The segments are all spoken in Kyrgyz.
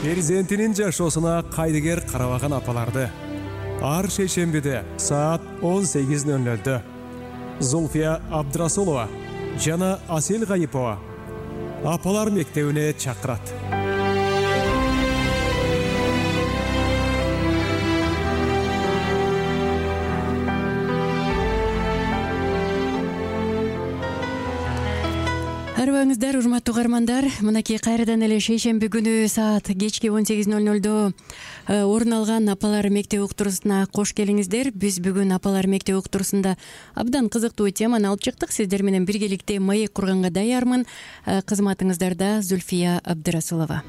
Перзентинин жашоосуна кайдыгер карабаган апаларды ар шейшембиде саат 18:00 Зульфия Абдрасулова жана Асел Гайипова апалар мектебине чакырат. Арыбаңыздар, урматтуу угармандар, мынакей кайрадан эле шейшемби күнү саат кечки 18:00 орун алган апалар мектеби уктуруусуна кош келиңиздер. Биз бүгүн апалар мектеби уктуруусунда абдан кызыктуу теманы алып чыктык. Сиздер менен биргеликте маек курганга даярмын. Кызматыңыздарда Зульфия Абдрасулова.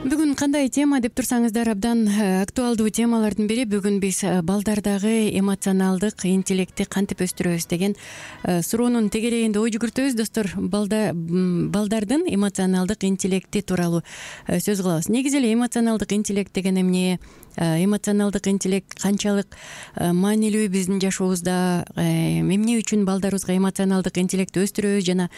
Бүгүн кандай тема деп турсаңыздар, абдан актуалдуу темалардын бири. Бүгүн биз балдардагы эмоционалдык интеллектти кантип өстүрөбүз деген суроонун тегерегинде ой жүгүртөбүз. Достор, балдардын эмоционалдык интеллекти тууралуу сөз кылабыз. Негизи эле эмоционалдык интеллект деген эмне? Эмоционалдык интеллект канчалык маанилүү биздин жашообузда? Эмне үчүн балдарыбызга эмоционалдык интеллектти өстүрөбүз жана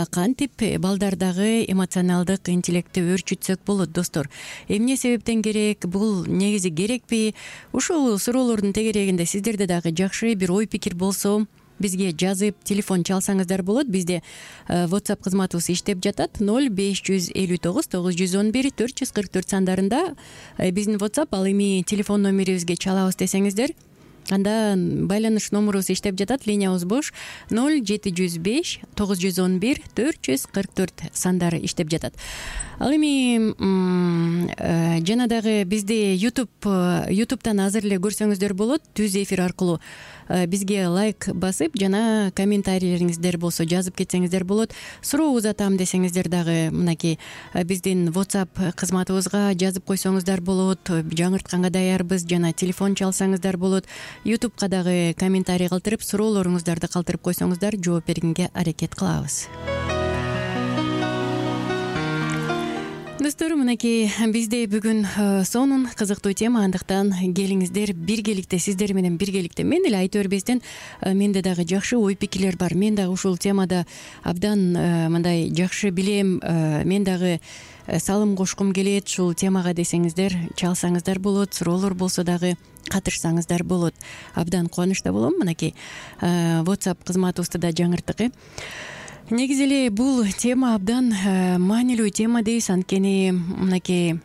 кантип балдардагы эмоционалдык интеллектти өөрчүтсөк болот? Достор, эмне себептен керек? Бул негизи керекпи? Ушул суроолордун тегерегинде сиздерде дагы жакшы бир ой пикир болсо, бизге жазып телефон чалсаңыздар болот. Бизде WhatsApp кызматыбыз иштеп жатат. 0559 911 444 сандарында биздин WhatsApp, ал эми телефон номерибизге чалабыз десеңиздер, анда байланыш номерубуз иштеп жатат. Линиябыз бош. 0705 911 444 сандары иштеп жатат. Ал эми жана дагы бизди YouTube'тан азыр эле көрсөңүздөр болот. Түз эфир аркылуу бизге лайк басып жана комментарийлериңиздер болсо жазып кетсеңиздер болот. Суроо узатам десеңиздер дагы мынакей биздин WhatsApp кызматыбызга жазып койсоңуздар болот. Жаңыртканга даярбыз жана телефон чалсаңыздар болот. YouTube'ка дагы комментарий калтырып, суроолоруңуздарды калтырып койсоңуздар, жооп бергенге аракет кылабыз. Достор, мынакей бизде бүгүн сонун кызыктуу тема, андыктан келиңиздер биргеликте, сиздер менен биргеликте. Мен эле айта бербестен, менде дагы жакшы ой пикирлер бар. Мен дагы ушул темада абдан мындай жакшы билем. Мен дагы салым кошкум келет ушул темага десеңиздер, чалсаңыздар болот. Суроолор болсо дагы катышсаңыздар болот. Абдан кубанычта болом. Мынакей WhatsApp кызматыбызды да жаңырттык. Негизи эле бул тема абдан маанилүү тема дейбиз. Анткени мынакей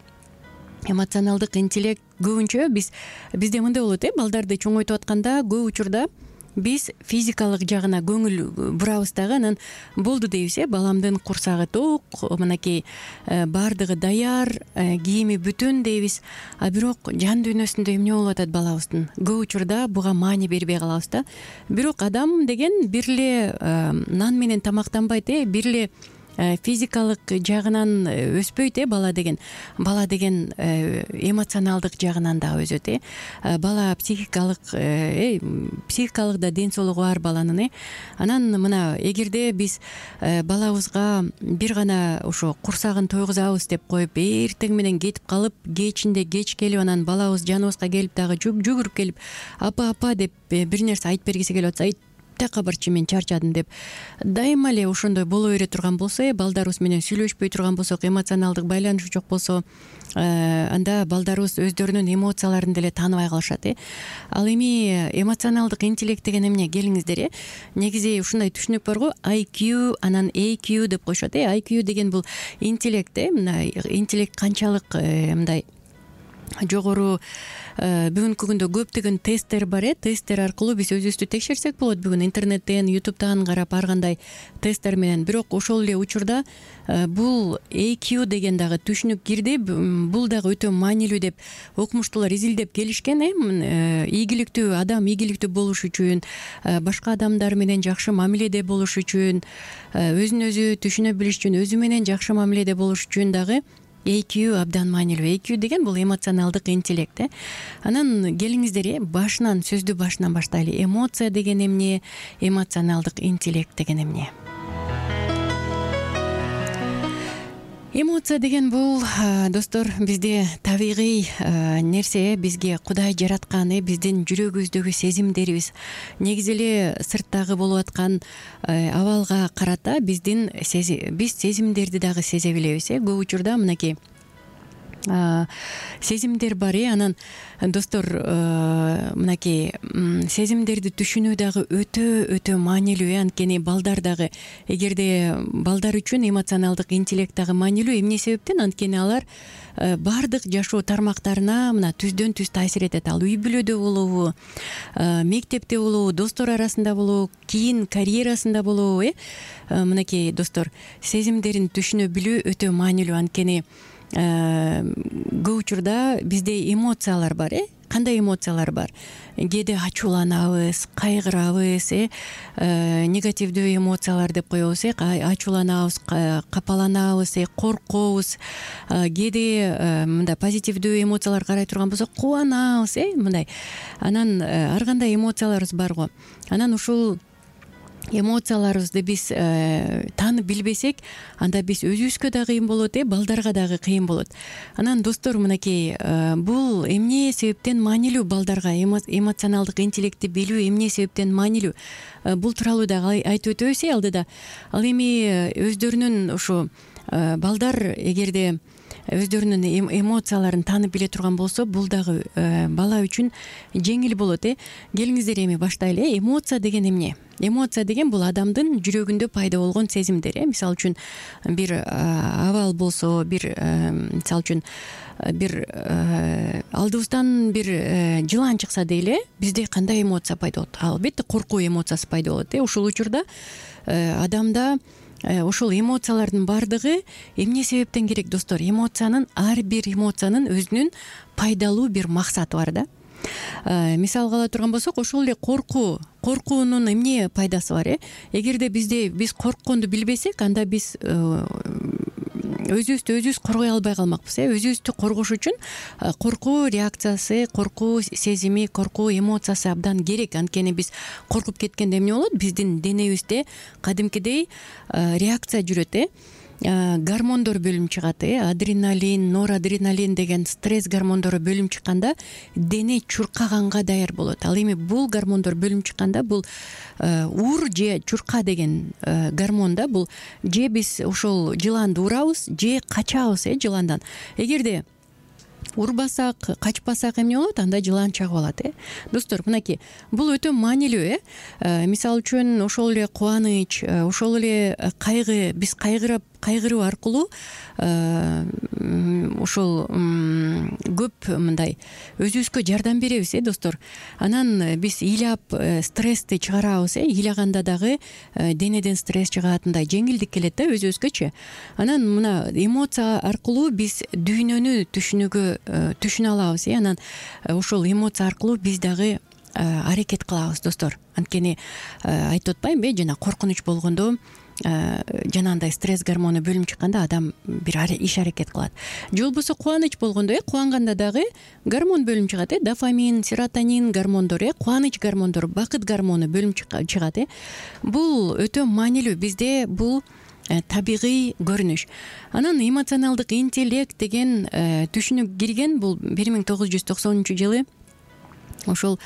эмоционалдык интеллект көбүнчө бизде мындай болот, балдарды чоңойтуп атканда көп учурда биз физикалык жагына көңүл бурабыз дагы, анан болду дейбиз, баламдын курсагы ток, мынакей баардыгы даяр, кийими бүтүн дейбиз. А бирок жан дүйнөсүндө эмне болуп атат балабыздын? Көп учурда буга маани бербей калабыз да. Бирок адам деген бир эле нан менен тамактанбайт, бир эле физикалык жагынан өспөйт, бала деген эмоционалдык жагынан да өсөт. Бала психикалык да ден соолугу бар баланын. Анан мына эгерде биз балабызга бир гана ошо курсагын тойгузабыз деп коюп, эртең менен кетип калып, кечинде кеч келип, анан балабыз жаныбызга келип дагы жүгүрүп келип, апа деп бир нерсе айтып бергиси келип атса, такка барчы, мен чарчадым деп дайыма эле ошондой боло бере турган болсо, балдарыбыз менен сүйлөшпөй турган болсок, эмоционалдык байланыш жок болсо, анда балдарыбыз өздөрүнүн эмоцияларын деле тааныбай калышат. Ал эми эмоционалдык интеллект деген эмне? Келиңиздер. Негизи ушундай түшүнүк бар го, IQ анан EQ деп коюшат. IQ деген бул интеллект. Мына интеллект канчалык мындай жогору. Бүгүнкү күндө көптөгөн тесттер бар. Тесттер аркылуу биз өзүбүздү текшерсек болот. Бүгүн интернеттен, YouTube'тан карап ар кандай тесттер менен. Бирок ошол эле учурда бул EQ деген дагы түшүнүк кирди. Бул дагы өтө маанилүү деп окумуштуулар изилдеп келишкен. Ийгиликтүү адам ийгиликтүү болуш үчүн, башка адамдар менен жакшы мамиледе болуш үчүн, өзүн өзү түшүнө билиш үчүн, өзү менен жакшы мамиледе болуш үчүн дагы EQ абдан маанилүү. EQ деген бул эмоционалдык интеллект. Анан келиңиздер, сөздү башынан баштайлы. Эмоция деген эмне? Эмоционалдык интеллект деген эмне? Эмоция деген бул достор бизде табигый нерсе, бизге Кудай жараткан, биздин жүрөгүбүздөгү сезимдерибиз. Негизи эле сырттагы болуп аткан абалга карата биз сезимдерди дагы сезе билебиз. Көп учурда мынакей сезимдер бар. Анан достор мынакей сезимдерди түшүнүү дагы өтө маанилүү. Анткени балдар дагы, эгерде балдар үчүн эмоционалдык интеллект дагы маанилүү. Эмне себептен? Анткени алар баардык жашоо тармактарына мына түздөн түз таасир этет. Ал үй бүлөдө болобу, мектепте болобу, достор арасында болобу, кийин карьерасында болобу. Мынакей достор, сезимдерин түшүнө билүү өтө маанилүү. Анткени көп учурда бизде эмоциялар бар. Кандай эмоциялар бар? Кээде ачууланабыз, кайгырабыз, негативдүү эмоциялар деп коебуз. Ачууланабыз, капаланабыз, коркобуз. Кээде мындай позитивдүү эмоциялар карай турган болсок, кубанабыз, мындай. Анан ар кандай эмоцияларыбыз бар го. Анан ушул эмоцияларыбызды биз таанып билбесек, анда биз өзүбүзгө да кыйын болот, балдарга дагы кыйын болот. Анан достор, мынакей бул эмне себептен маанилүү балдарга эмоционалдык интеллектти билүү эмне себептен маанилүү? Бул тууралуу дагы айтып өтөбүз алдыда. Ал эми өздөрүнүн ушу балдар эгерде өздөрүнүн эмоцияларын таанып биле турган болсо, бул дагы бала үчүн жеңил болот. Келиңиздер эми баштайлы. Эмоция деген эмне? Эмоция деген бул адамдын жүрөгүндө пайда болгон сезимдер. Мисалы үчүн бир абал болсо, мисалы үчүн бир алдыбыздан бир жылан чыкса дейли, бизде кандай эмоция пайда болот? Албетте коркуу эмоциясы пайда болот. Ушул учурда адамда ушул эмоциялардын баардыгы эмне себептен керек, достор? Ар бир эмоциянын өзүнүн пайдалуу бир максаты бар да. Мисалга ала турган болсок, ошол эле коркуунун эмне пайдасы бар? Эгерде биз коркконду билбесек, анда биз өзүбүздү өзүбүз коргой албай калмакпыз. Өзүбүздү коргош үчүн коркуу реакциясы, коркуу сезими, коркуу эмоциясы абдан керек. Анткени биз коркуп кеткенде эмне болот? Биздин денебизде кадимкидей реакция жүрөт. Гормондор бөлүнүп чыгат. Адреналин, норадреналин деген стресс гормондору бөлүнүп чыкканда дене чуркаганга даяр болот. Ал эми бул гормондор бөлүнүп чыкканда бул ур же чурка деген гормонда бул же биз ошол жыланды урабыз, же качабыз жыландан. Эгерде урбасак, качпасак эмне болот? Анда жылан чагып алат. Достор, мынакей бул өтө маанилүү. Мисалы үчүн ошол эле кубаныч, ошол эле кайгы, биз кайгыруу аркылуу ошол көп мындай өзүбүзгө жардам беребиз, достор. Анан биз ыйлап стрессти чыгарабыз. Ыйлаганда дагы денеден стресс чыгат, мындай жеңилдик келет да өзүбүзгөчү. Анан мына эмоция аркылуу биз дүйнөнү түшүнө алабыз. Анан ошол эмоция аркылуу биз дагы аракет кылабыз, достор. Анткени айтып атпаймынбы, жана коркунуч болгондо, жанагындай стресс гормону бөлүнүп чыкканда адам бир иш аракет кылат. Же болбосо кубаныч болгондо, кубанганда дагы гормон бөлүнүп чыгат. Дофамин, серотонин гормондору, кубаныч гормондору, бакыт гормону бөлүнүп чыгат. Бул өтө маанилүү. Бизде бул табигый көрүнүш. Анан эмоционалдык интеллект деген түшүнүк кирген бул 1990-жылы. Ошол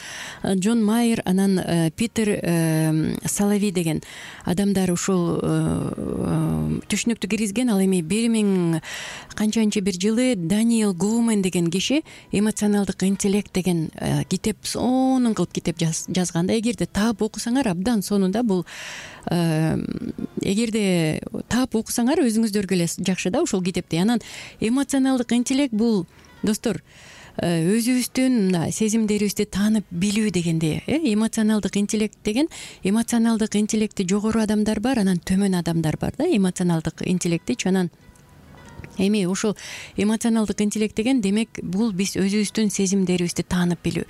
Джон Майер, анан Питер Солови деген адамдар ушул түшүнүктү киргизген. Ал эми 1000 канчанчы бир жылы Даниэл Гоумен деген киши эмоционалдык интеллект деген китеп, сонун кылып китеп жазганда, эгерде таап окусаңар, абдан сонун да. Бул эгерде таап окусаңар өзүңүздөргө эле жакшы да ушул китепти. Анан эмоционалдык интеллект бул, достор, өзүбүздүн сезимдерибизди таанып билүү дегенде. Эмоционалдык интеллект деген, эмоционалдык интеллекти жогору адамдар бар, анан төмөн адамдар бар да, эмоционалдык интеллектичи. Анан Эми ошол эмоционалдык интеллект деген демек бул биз өзүбүздүн сезимдерибизди таанып билүү,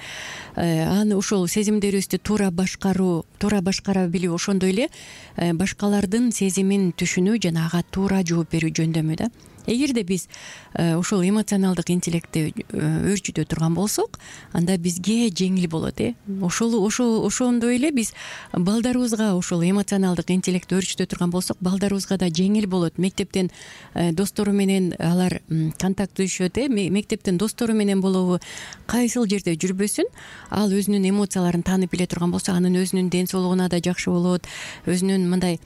аны ошол сезимдерибизди туура башкара билүү, ошондой эле башкалардын сезимин түшүнүү жана ага туура жооп берүү жөндөмү да. Эгерде биз ошол эмоционалдык интеллектти өөрчүтө турган болсок, анда бизге жеңил болот. Ошондой эле биз балдарыбызга ошол эмоционалдык интеллектти өөрчүтө турган болсок, балдарыбызга да жеңил болот. Мектептен достору менен алар контактдашөт, мектептен достору менен болобу, кайсыл жерде жүрбөсүн, ал өзүнүн эмоцияларын таанып биле турган болсо, анын өзүнүн ден соолугуна да жакшы болот, өзүнүн мындай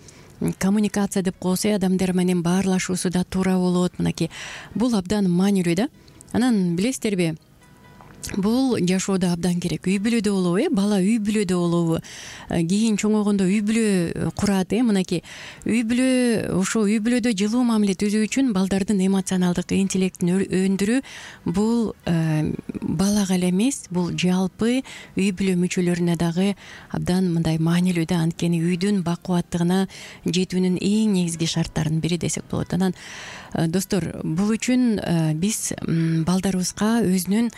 коммуникация деп коебуз, адамдар менен баарлашуусу да туура болот. Мынакей бул абдан маанилүү да. Анан билесиздерби, бул жашоодо абдан керек. Үй бүлөдө болобу, бала үй бүлөдө болобу, кийин чоңойгондо үй бүлө курат. Мынакей үй бүлө, ошо үй бүлөдө жылуу мамиле түзүү үчүн балдардын эмоционалдык интеллектин өндүрүү бул балага эле эмес, бул жалпы үй бүлө мүчөлөрүнө дагы абдан мындай маанилүү да. Анткени үйдүн бакубаттыгына жетүүнүн эң негизги шарттарынын бири десек болот. Анан достор, бул үчүн биз балдарыбызга өзүнүн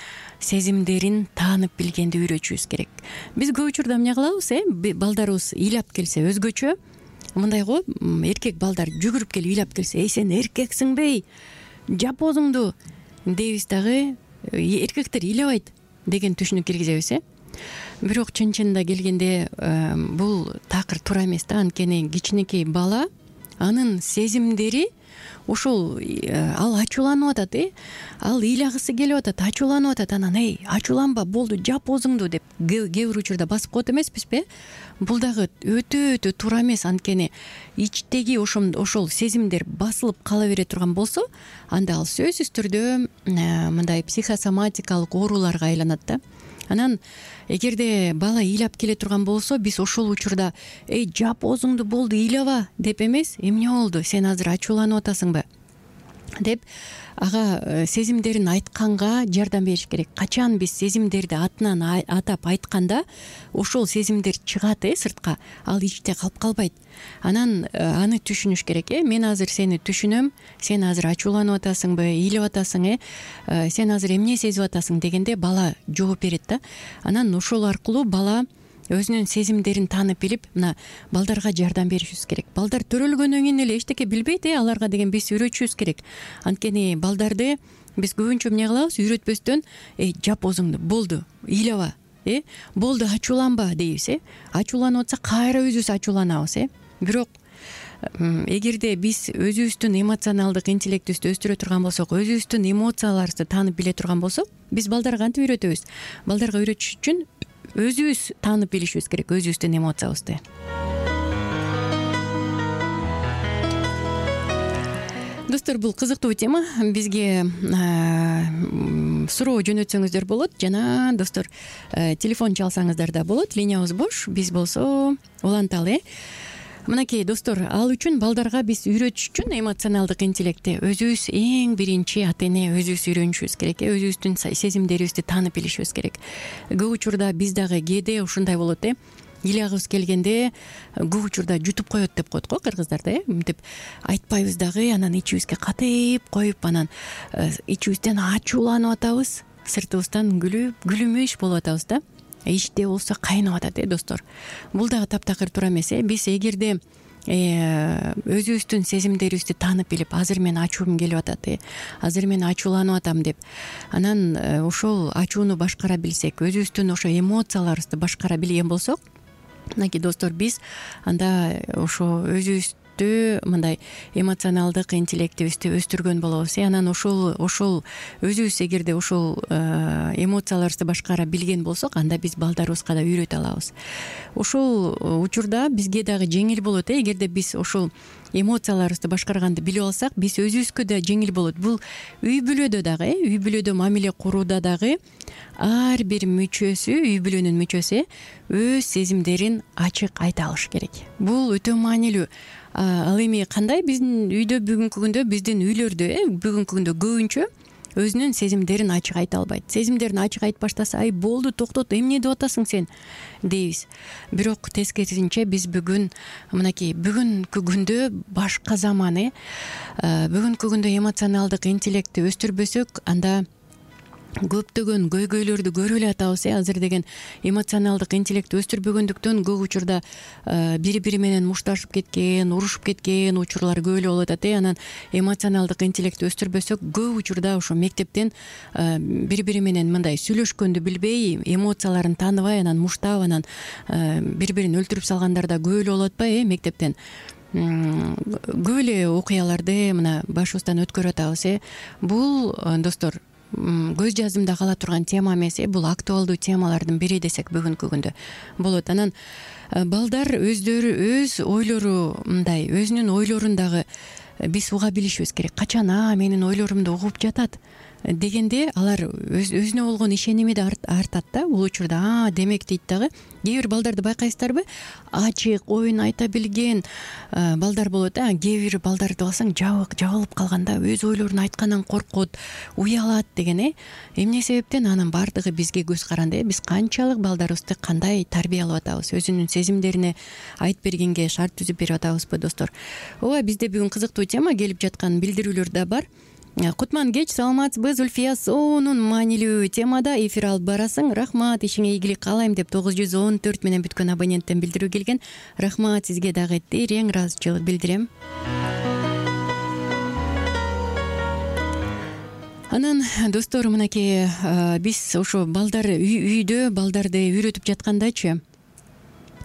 сезимдерин таанып билгенди үйрөтүшүбүз керек. Биз көп учурда эмне кылабыз, балдарыбыз ыйлап келсе өзгөчө, мындай го, эркек балдар жүгүрүп келип ыйлап келсе, сен эркексиңби, жап оозуңду дейбиз дагы, эркектер ыйлабайт деген түшүнүк киргизебиз. Бирок чын-чынында келгенде бул такыр туура эмес да. Анткени кичинекей бала, анын сезимдери ошол, ал ачууланып атат, ал ыйлагысы келип атат, ачууланып атат. Анан ачууланба, болду, жап оозуңду деп кээ бир учурда басып коет эмеспизби? Бул дагы өтө туура эмес. Анткени ичтеги ошол сезимдер басылып кала бере турган болсо, анда ал сөзсүз түрдө мындай психосоматикалык ооруларга айланат да. Анан эгерде бала ыйлап келе турган болсо, биз ошол учурда жап оозуңду, болду, ыйлаба деп эмес, эмне болду, сен азыр ачууланып атасыңбы деп ага сезимдерин айтканга жардам бериш керек. Качан биз сезимдерди атынан атап айтканда ошол сезимдер чыгат сыртка, ал ичте калып калбайт. Анан аны түшүнүш керек. Мен азыр сени түшүнөм, сен азыр ачууланып атасыңбы, ыйлап атасың, сен азыр эмне сезип атасың дегенде бала жооп берет да. Анан ошол аркылуу бала өзүнүн сезимдерин таанып билип, мына балдарга жардам беришибиз керек. Балдар төрөлгөндөн кийин эле эчтеке билбейт, аларга деген биз үйрөтүшүбүз керек. Анткени балдарды биз көбүнчө эмне кылабыз, үйрөтпөстөн жап оозуңду, болду, ыйлаба, болду, ачууланба дейбиз. Ачууланып атса кайра өзүбүз ачууланабыз. Бирок эгерде биз өзүбүздүн эмоционалдык интеллектибизди өстүрө турган болсок, өзүбүздүн эмоцияларыбызды таанып биле турган болсок, биз балдарга кантип үйрөтөбүз? Балдарга үйрөтүш үчүн өзүбүз таанып билишибиз керек өзүбүздүн эмоциябызды. Достор, бул кызыктуу тема. Бизге суроо жөнөтсөңүздөр болот жана достор, телефон чалсаңыздар да болот. Линиябыз бош. Биз болсо уланталы. Мынакей достор, ал үчүн балдарга биз үйрөтүш үчүн эмоционалдык интеллектти өзүбүз эң биринчи ата-эне өзүбүз үйрөнүшүбүз керек. Өзүбүздүн сезимдерибизди таанып билишибиз керек. Көп учурда биз дагы кээде ушундай болот. Ыйлагыбыз келгенде көп учурда жутуп коет деп коет го кыргыздарда. Мынтип айтпайбыз дагы, анан ичибизге катыйып коюп, анан ичибизден ачууланып атабыз, сыртыбыздан күлүмүш болуп атабыз да. Ичте болсо кайнап атат достор. Бул дагы таптакыр туура эмес. Биз эгерде өзүбүздүн сезимдерибизди таанып билип, азыр мен ачуум келип атат, азыр мен ачууланып атам деп, анан ошол ачууну башкара билсек, өзүбүздүн ошо эмоцияларыбызды башкара билген болсок, мынакей достор, биз анда ошо өзүбүздү мындай эмоционалдык интеллектибизди өстүргөн болобуз. Анан ошол өзүбүз эгерде ошол эмоцияларыбызды башкара билген болсок, анда биз балдарыбызга да үйрөтө алабыз. Ошол учурда бизге дагы жеңил болот. Эгерде биз ошол эмоцияларыбызды башкарганды билип алсак, биз өзүбүзгө да жеңил болот. Бул үй бүлөдө дагы, үй бүлөдө мамиле курууда дагы ар бир мүчөсү, үй бүлөнүн мүчөсү өз сезимдерин ачык айта алыш керек. Бул өтө маанилүү. Ал эми кандай биздин үйдө бүгүнкү күндө, биздин үйлөрдө бүгүнкү күндө көбүнчө өзүнүн сезимдерин ачык айта албайт. Сезимдерин ачык айтып баштаса, ай болду, токтот, эмне деп атасың сен дейбиз. Бирок тескерисинче биз бүгүн мынакей бүгүнкү күндө башка заман бүгүнкү күндө эмоционалдык интеллектти өстүрбөсөк, анда көптөгөн көйгөйлөрдү көрүп эле атабыз. Азыр деген эмоционалдык интеллектти өстүрбөгөндүктөн көп учурда бири бири менен мушташып кеткен, урушуп кеткен учурлар көп эле болуп атат. Анан эмоционалдык интеллектти өстүрбөсөк, көп учурда ошо мектептен бири бири менен мындай сүйлөшкөндү билбей, эмоцияларын тааныбай, анан муштап, анан бири бирин өлтүрүп салгандар да көп эле болуп атпайбы мектептен. Көп эле окуяларды мына башыбыздан өткөрүп атабыз. Бул достор көз жаздымда кала турган тема эмес, бул актуалдуу темалардын бири десек бүгүнкү күндө болот. Анан балдар өз ойлору мындай, өзүнүн ойлорун дагы биз уга билишибиз керек. Качан менин ойлорумду угуп жатат дегенде алар өзүнө болгон ишеними да артат да. Бул учурда демек дейт дагы. Кээ бир балдарды байкайсыздарбы, ачык оюн айта билген балдар болот. Кээ бир балдарды алсаң жабылып калганда, өз ойлорун айткандан коркот, уялат деген. Эмне себептен? Анын баардыгы бизге көз каранды. Биз канчалык балдарыбызды кандай тарбиялап атабыз, өзүнүн сезимдерине айтып бергенге шарт түзүп берип атабызбы достор. Ооба, бизде бүгүн кызыктуу тема келип жаткан билдирүүлөр да бар. Кутман кеч, саламатсызбы? Зульфия сонун маанилүү темада эфир алып барасың. Рахмат, ишиңе ийгилик каалайм деп 914 менен бүткөн абоненттен билдирүү келген. Рахмат сизге дагы, терең ыраазычылык билдирем. Анан достор, мынакей биз ошо балдар үйдө балдарды үйрөтүп жаткандачы,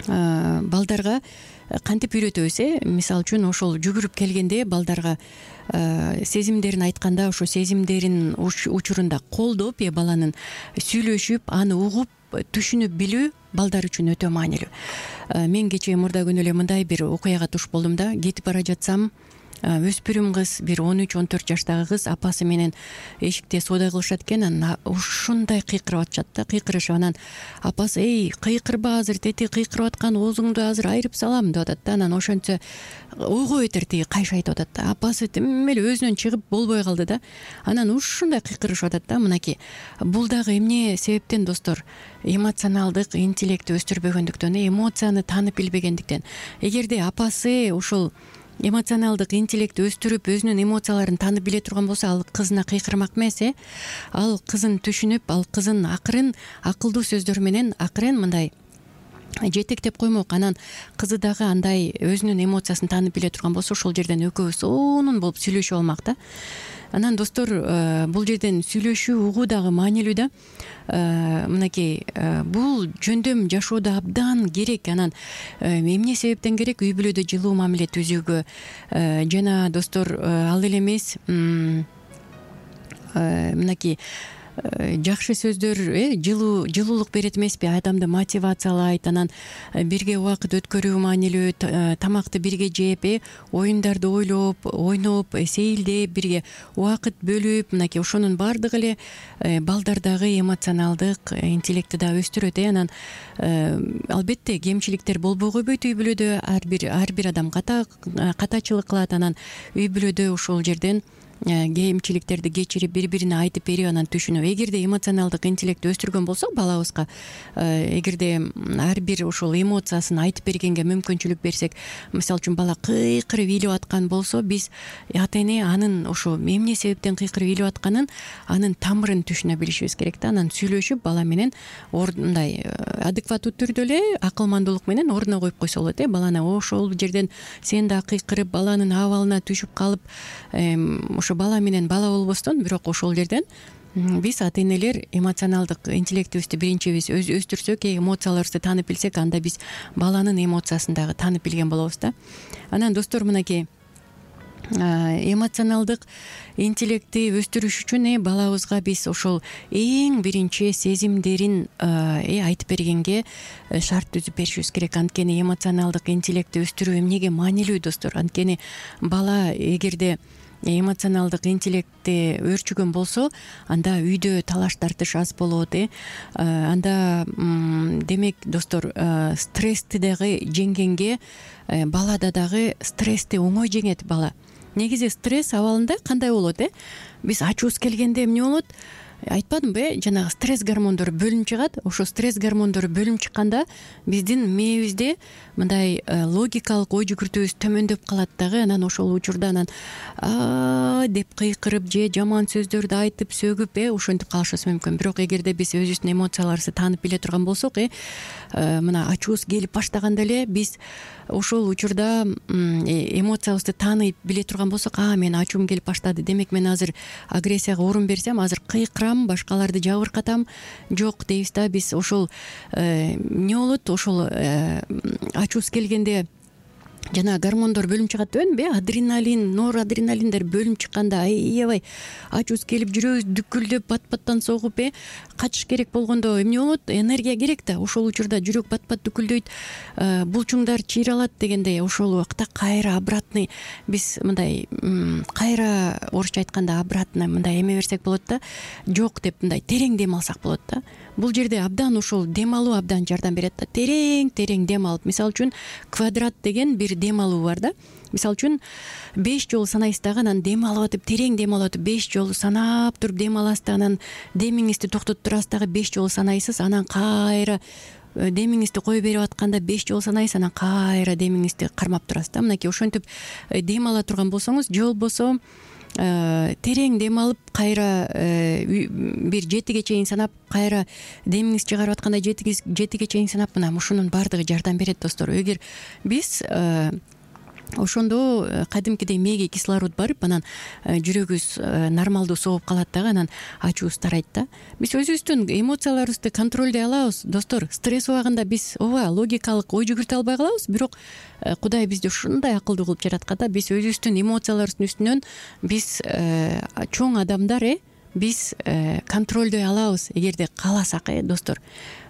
балдарга кантип үйрөтөбүз? Мисалы үчүн ошол жүгүрүп келгенде балдарга сезимдерин айтканда, ошо сезимдерин учурунда колдоп, баланын сүйлөшүп, аны угуп, түшүнүп билүү балдар үчүн өтө маанилүү. Мен кечээ мурда күнү эле мындай бир окуяга туш болдум да. Кетип бара жатсам, өспүрүм кыз, бир 13-14 жаштагы кыз апасы менен эшикте соода кылышат экен. Анан ушундай кыйкырып атышат да, кыйкырышып. Анан апасы: "Эй, кыйкырба азыр, тети кыйкырып аткан оозуңду азыр айырып салам" деп атат да. Анан ошентсе ойго бетер тиги кайша айтып атат да. Апасы тим эле өзүнөн чыгып болбой калды да. Анан ушундай кыйкырышып атат да. Мынакей, бул дагы эмне себептен достор? Эмоционалдык интеллекти өстүрбөгөндүктөн, эмоцияны таанып билбегендиктен. Эгерде апасы ушул эмоционалдык интеллекти өстүрүп, өзүнүн эмоцияларын таанып биле турган болсо, ал кызына кыйкырмак эмес. Ал кызын түшүнүп, ал кызын акырын, акылдуу сөздөр менен акырын мындай жетектеп коймок. Анан кызы дагы андай өзүнүн эмоциясын таанып биле турган болсо, ошол жерден экөө сонун болуп сүйлөшүп алмак да. Анан достор, бул жерден сүйлөшүү, угуу дагы маанилүү да. Мынакей, бул жөндөм жашоодо абдан керек. Анан эмне себептен керек? Үй бүлөдө жылуу мамиле түзүүгө жана достор, ал эле эмес, мынакей жакшы сөздөр жылуулук берет эмеспи? Адамды мотивациялайт. Анан бирге убакыт өткөрүү маанилүү, тамакты бирге жеп, оюндарды ойлоп, ойноп, сейилдеп, бирге убакыт бөлүп, мынакей ошонун баардыгы эле балдардагы эмоционалдык интеллектти да өстүрөт. Анан албетте кемчиликтер болбой койбойт үй бүлөдө. Ар бир адам катачылык кылат. Анан үй бүлөдө ошол жерден кемчиликтерди кечирип, бири-бирине айтып берип, анан түшүнүп. Эгерде эмоционалдык интеллектти өстүргөн болсок балабызга, эгерде ар бир ошол эмоциясын айтып бергенге мүмкүнчүлүк берсек, мисалы үчүн бала кыйкырып ыйлап аткан болсо, биз ата эне анын ошо эмне себептен кыйкырып ыйлап атканын, анын тамырын түшүнө билишибиз керек да. Анан сүйлөшүп, бала менен мындай адекваттуу түрдө эле акылмандуулук менен ордуна коюп койсо болот. Баланы ошол жерден сен да кыйкырып, баланын абалына түшүп калып, ошо бала менен бала болбостон, бирок ошол жерден биз ата энелер эмоционалдык интеллектибизди биринчи биз өстүрсөк, эмоцияларыбызды таанып билсек, анда биз баланын эмоциясын дагы таанып билген болобуз да. Анан достор, мынакей эмоционалдык интеллектти өстүрүш үчүн балабызга биз ошол эң биринчи сезимдерин айтып бергенге шарт түзүп беришибиз керек. Анткени эмоционалдык интеллектти өстүрүү эмнеге маанилүү достор? Анткени бала эгерде эмоционалдык интеллекти өөрчүгөн болсо, анда үйдө талаш тартыш аз болот. Анда демек достор, стрессти дагы жеңгенге, балада дагы стрессти оңой жеңет бала. негизи стресс абалында кандай болот биз ачуубуз келгенде эмне болот? Айтпадымбы, жанагы стресс гормондору бөлүнүп чыгат. Ошо стресс гормондору бөлүнүп чыкканда биздин мээбизде мындай логикалык ой жүгүртүүбүз төмөндөп калат дагы. Анан ошол учурда деп кыйкырып же жаман сөздөрдү айтып сөгүп ошентип калышыбыз мүмкүн. Бирок эгерде биз өзүбүздүн эмоцияларыбызды таанып биле турган болсок, мына ачуубуз келип баштаганда эле биз ошол учурда эмоциябызды таанып биле турган болсок, мен ачуум келип баштады, демек мен азыр агрессияга орун берсем, азыр кыйкырам, башкаларды жабыркатам, жок дейбиз да. Биз ошол эмне болот? Ошол ачуубуз келгенде жана гормондор бөлүнүп чыгат дебедимби? Адреналин, норадреналиндер бөлүнүп чыкканда аябай ачуубуз келип, жүрөгүбүз дүкүлдөп, бат-баттан согуп, качыш керек болгондо эмне болот? Энергия керек да. Ошол учурда жүрөк бат-бат дүкүлдөйт, булчуңдар чыйралат дегендей. Ошол убакта кайра обратный, биз мындай кайра орусча айтканда обратно мындай эме берсек болот да. Жок деп мындай терең дем алсак болот да. Бул жерде абдан ошол дем алуу абдан жардам берет да. Терең дем алып, мисалы үчүн квадрат деген бир дем алуу бар да. Мисалы үчүн 5 жолу санайсыз дагы, анан дем алып атып, терең дем алып атып 5 жолу санап туруп дем аласыз да, анан демиңизди токтотуп турасыз дагы 5 жолу санайсыз, анан кайра демиңизди кое берип атканда 5 жолу санайсыз, анан кайра демиңизди кармап турасыз да. Мынакей ошентип дем ала турган болсоңуз, же болбосо терең дем алып кайра бир 7ге чейин санап, кайра демиңизди чыгарып атканда 7ге чейин санап, мына ушунун баардыгы жардам берет достор. Эгер биз ошондо кадимкидей мээге кислород барып, анан жүрөгүбүз нормалдуу согуп калат дагы, анан ачуубуз тарайт да. Биз өзүбүздүн эмоцияларыбызды контролдой алабыз достор. Стресс убагында биз логикалык ой жүгүртө албай калабыз, бирок Кудай бизди ушундай акылдуу кылып жараткан да. Биз өзүбүздүн эмоцияларыбыздын үстүнөн биз чоң адамдар биз контролдой алабыз, эгерде кааласак достор.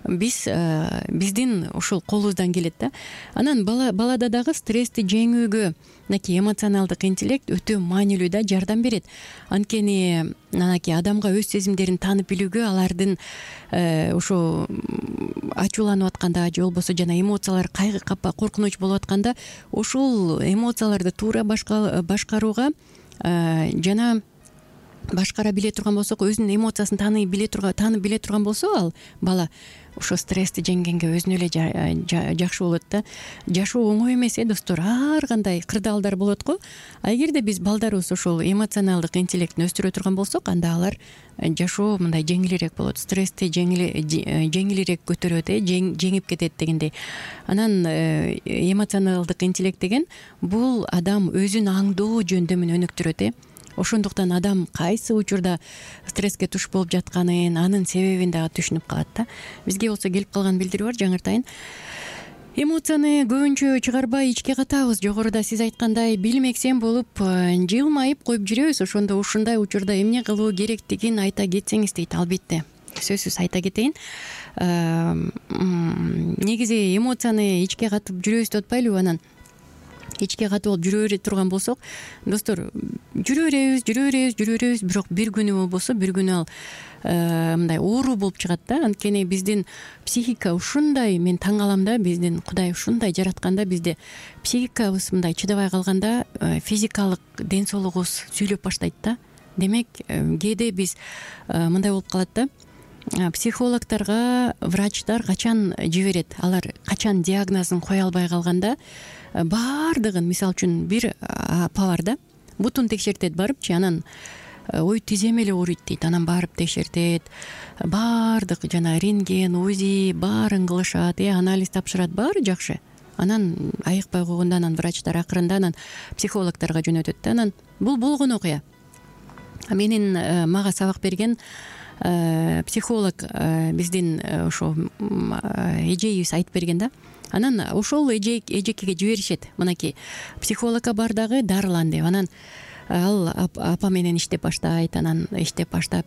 Биздин ушул колубуздан келет да. Анан балада дагы стрессти жеңүүгө мынакей эмоционалдык интеллект өтө маанилүү да, жардам берет. Анткени анакей адамга өз сезимдерин таанып билүүгө, алардын ошо ачууланып атканда же болбосо жана эмоциялар кайгы капа, коркунуч болуп атканда ошол эмоцияларды туура башкарууга жана башкара биле турган болсок, өзүнүн эмоциясын таанып биле турган болсо, ал бала ошо стрессти жеңгенге өзүнө эле жакшы болот да. Жашоо оңой эмес достор, ар кандай кырдаалдар болот го. Эгерде биз балдарыбыз ошол эмоционалдык интеллектин өстүрө турган болсок, анда алар жашоо мындай жеңилирээк болот, стрессти жеңилирээк көтөрөт, жеңип кетет дегендей. Анан эмоционалдык интеллект деген бул адам өзүн аңдоо жөндөмүн өнүктүрөт. Ошондуктан адам кайсы учурда стресске туш болуп жатканын, анын себебин дагы түшүнүп калат да. Бизге болсо келип калган билдирүү бар, жаңыртайын. Эмоцияны көбүнчө чыгарбай ичке катабыз. Жогоруда сиз айткандай билмексен болуп жылмайып коюп жүрөбүз. Ошондо ушундай учурда эмне кылуу керектигин айта кетсеңиз дейт. Албетте, сөзсүз айта кетейин. Негизи эмоцияны ичке катып жүрөбүз деп атпайлыбы? Анан ичке катып болуп жүрө турган болсок, достор, жүрө беребиз, бирок бир күнү болбосо, бир күнү ал мындай оору болуп чыгат да. Анткени биздин психика ушундай, мен таң калам да, биздин Кудай ушундай жаратканда, бизде психикабыз мындай чыдабай калганда физикалык ден соолугубуз сүйлөп баштайт да. Демек, кээде биз мындай болуп калат да. Психологторго врачтар качан жиберет, алар качан диагнозун кое албай калганда, баардыгын, мисалы үчүн бир апа бар да, бутун текшертет барыпчы, анан ой тизем эле ооруйт дейт, анан барып текшертет, баардык жана рентген, УЗИ баарын кылышат, анализ тапшырат, баары жакшы. Анан айыкпай койгондо, анан врачтар акырында анан психологторго жөнөтөт да. Анан бул болгон окуя. Менин мага сабак берген психолог биздин ошо эжейибиз айтып берген да. Анан ошол эжекеге жиберишет. Мынакей психологко бар дагы дарылан деп. Анан ал апа менен иштеп баштайт, анан иштеп баштап,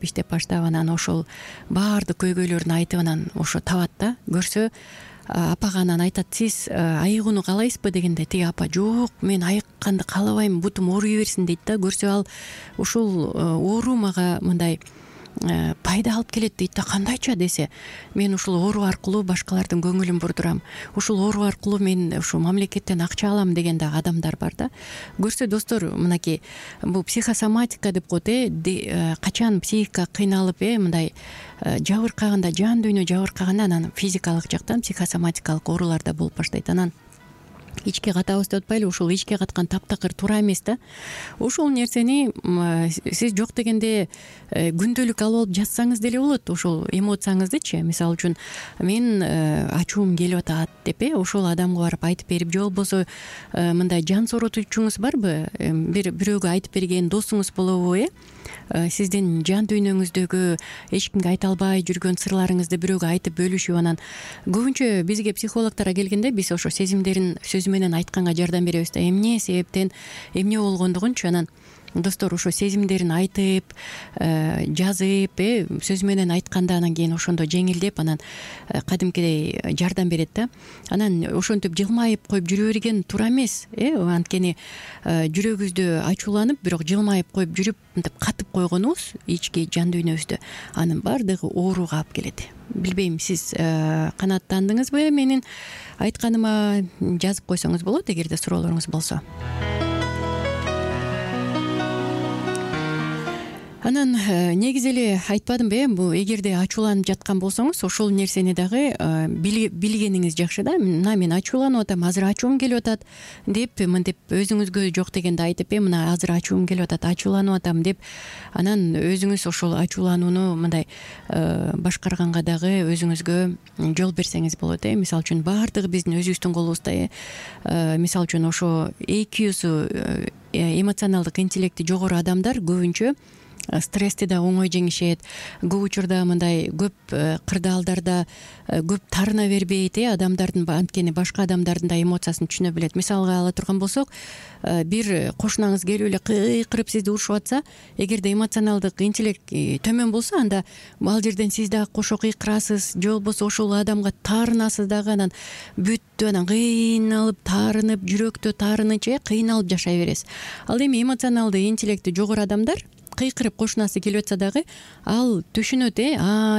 анан ошол баардык көйгөйлөрүн айтып, анан ошо табат да. Көрсө апага анан айтат, сиз айыгууну каалайсызбы дегенде, тиги апа, жок, мен айыкканды каалабайм, бутум ооруй берсин дейт да. Көрсө ал ошол оору мага мындай пайда алып келет дейт да. Кандайча десе, мен ушул оору аркылуу башкалардын көңүлүн бурдурам, ушул оору аркылуу мен ушу мамлекеттен акча алам деген дагы адамдар бар да. Көрсө достор, мынакей бул психосоматика деп коет. Качан психика кыйналып мындай жабыркаганда, жан дүйнө жабыркаганда, анан физикалык жактан психосоматикалык оорулар да болуп баштайт. Анан ичке катабыз деп атпайлы, ушул ичке каткан таптакыр туура эмес да. Ушул нерсени сиз жок дегенде күндөлүк алып алып жазсаңыз деле болот. Ушул эмоцияңыздычы, мисалы үчүн мен ачуум келип атат деп ошол адамга барып айтып берип, же болбосо мындай жан сооротуучуңуз барбы, бирөөгө айтып берген досуңуз болобу, сиздин жан дүйнөңүздөгү эч кимге айта албай жүргөн сырларыңызды бирөөгө айтып бөлүшүп, анан көбүнчө бизге психологторго келгенде биз ошо сезимдерин сөзү менен айтканга жардам беребиз да. Эмне себептен, эмне болгондугунчу анан достор ошо сезимдерин айтып, жазып, сөз менен айтканда анан кийин ошондо жеңилдеп, анан кадимкидей жардам берет да. Анан ошентип жылмайып коюп жүрө берген туура эмес. Анткени жүрөгүбүздө ачууланып, бирок жылмайып коюп жүрүп, мынтип катып койгонубуз ички жан дүйнөбүздө, анын баардыгы ооруга алып келет. Билбейм, сиз канааттандыңызбы менин айтканыма? Жазып койсоңуз болот эгерде суроолоруңуз болсо. Анан негизи эле айтпадымбы, бул эгерде ачууланып жаткан болсоңуз, ошол нерсени дагы билгениңиз жакшы да. Мына мен ачууланып атам, азыр ачуум келип атат деп, мынтип өзүңүзгө жок дегенде айтып, мына азыр ачуум келип атат, ачууланып атам деп, анан өзүңүз ошол ачууланууну мындай башкарганга дагы өзүңүзгө жол берсеңиз болот. Мисалы үчүн баардыгы биздин өзүбүздүн колубузда. Мисалы үчүн ошо EQ-су, эмоционалдык интеллекти жогору адамдар көбүнчө стрессти да оңой жеңишет. Көп учурда мындай көп кырдаалдарда көп тарына бербейт, адамдардын, анткени башка адамдардын да эмоциясын түшүнө билет. Мисалга ала турган болсок, бир кошунаңыз келип эле кыйкырып сизди урушуп атса, эгерде эмоционалдык интеллект төмөн болсо, анда ал жерден сиз дагы кошо кыйкырасыз, же болбосо ошол адамга таарынасыз дагы, анан бүттү, анан кыйналып, таарынып, жүрөктө таарынычы кыйналып жашай бересиз. Ал эми эмоционалдык интеллекти жогору адамдар кыйкырып кошунасы келип атса дагы ал түшүнөт,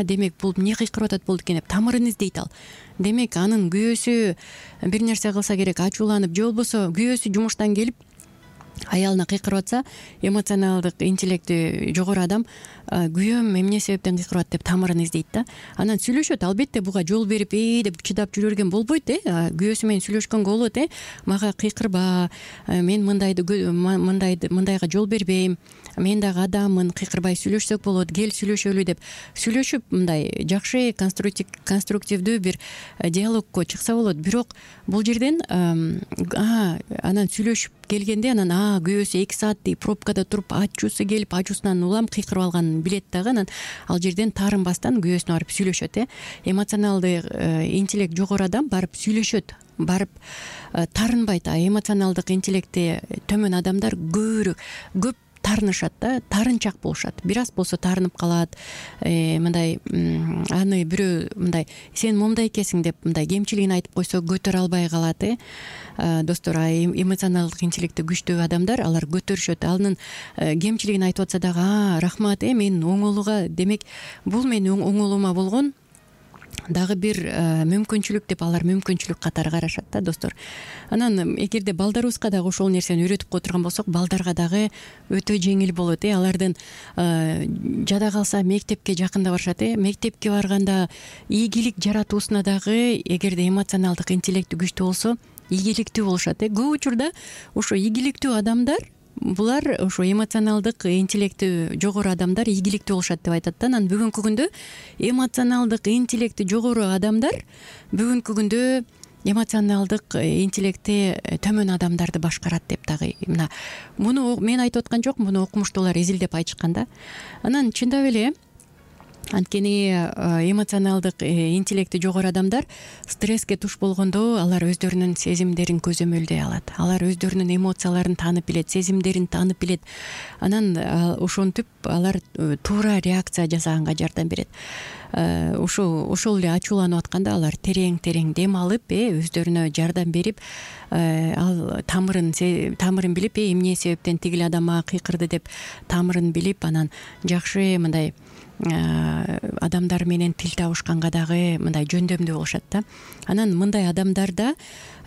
демек бул эмне кыйкырып атат болду экен деп тамырын издейт ал. Демек анын күйөөсү бир нерсе кылса керек, ачууланып, же болбосо күйөөсү жумуштан келип аялына кыйкырып атса, эмоционалдык интеллекти жогору адам күйөөм эмне себептен кыйкырып атат деп тамырын издейт да. Анан сүйлөшөт, албетте буга жол берип деп чыдап жүрө берген болбойт. Күйөөсү менен сүйлөшкөнгө болот. Мага кыйкырба, мен мындайга жол бербейм, мен дагы адаммын, кыйкырбай сүйлөшсөк болот, кел сүйлөшөлү деп сүйлөшүп, мындай жакшы конструктивдүү бир диалогко чыкса болот. Бирок бул жерден анан сүйлөшүп келгенде, анан күйөөсү 2 сааттей пробкада туруп, ачуусу келип, ачуусунан улам кыйкырып алганын билет дагы, анан ал жерден таарынбастан күйөөсүнө барып сүйлөшөт. Эмоционалдык интеллект жогору адам барып сүйлөшөт, барып таарынбайт. Эмоционалдык интеллекти төмөн адамдар көп таарынышат да, таарынчак болушат. Бир аз болсо таарынып калат. Мындай аны бирөө мындай сен момундай экенсиң деп мындай кемчилигин айтып койсо көтөрө албай калат. Достор, эмоционалдык интеллекти күчтүү адамдар алар көтөрүшөт. Анын кемчилигин айтып атса дагы, рахмат, мен оңолууга, демек бул менин оңолуума болгон дагы бир мүмкүнчүлүк деп алар мүмкүнчүлүк катары карашат да, достор. Анан эгерде балдарыбызга дагы ошол нерсени үйрөтүп койдурган болсок, балдарга дагы өтө жеңил болот. Алардын жада калса мектепке жакында барышат. Мектепке барганда ийгилик жаратуусуна дагы эгерде эмоционалдык интеллекти күчтүү болсо, ийгиликтүү болушат. Көп учурда ошо ийгиликтүү адамдар, булар ошо эмоционалдык интеллекти жогору адамдар ийгиликтүү болушат деп айтат да. Анан бүгүнкү күндө эмоционалдык интеллекти жогору адамдар бүгүнкү күндө эмоционалдык интеллекти төмөн адамдарды башкарат деп дагы, мына муну мен айтып аткан жокмун, муну окумуштуулар изилдеп айтышкан да. Анан чындап эле анткени эмоционалдык интеллекти жогору адамдар стресске туш болгондо алар өздөрүнүн сезимдерин көзөмөлдөй алат. Алар өздөрүнүн эмоцияларын таанып билет, сезимдерин таанып билет. Анан ошентип алар туура реакция жасаганга жардам берет. ошол эле ачууланып атканда алар терең дем алып өздөрүнө жардам берип ал тамырын билип эмне себептен тигил адам мага кыйкырды деп тамырын билип анан жакшы мындай адамдар менен тил табышканга дагы мындай жөндөмдүү болушат да. Анан мындай адамдарда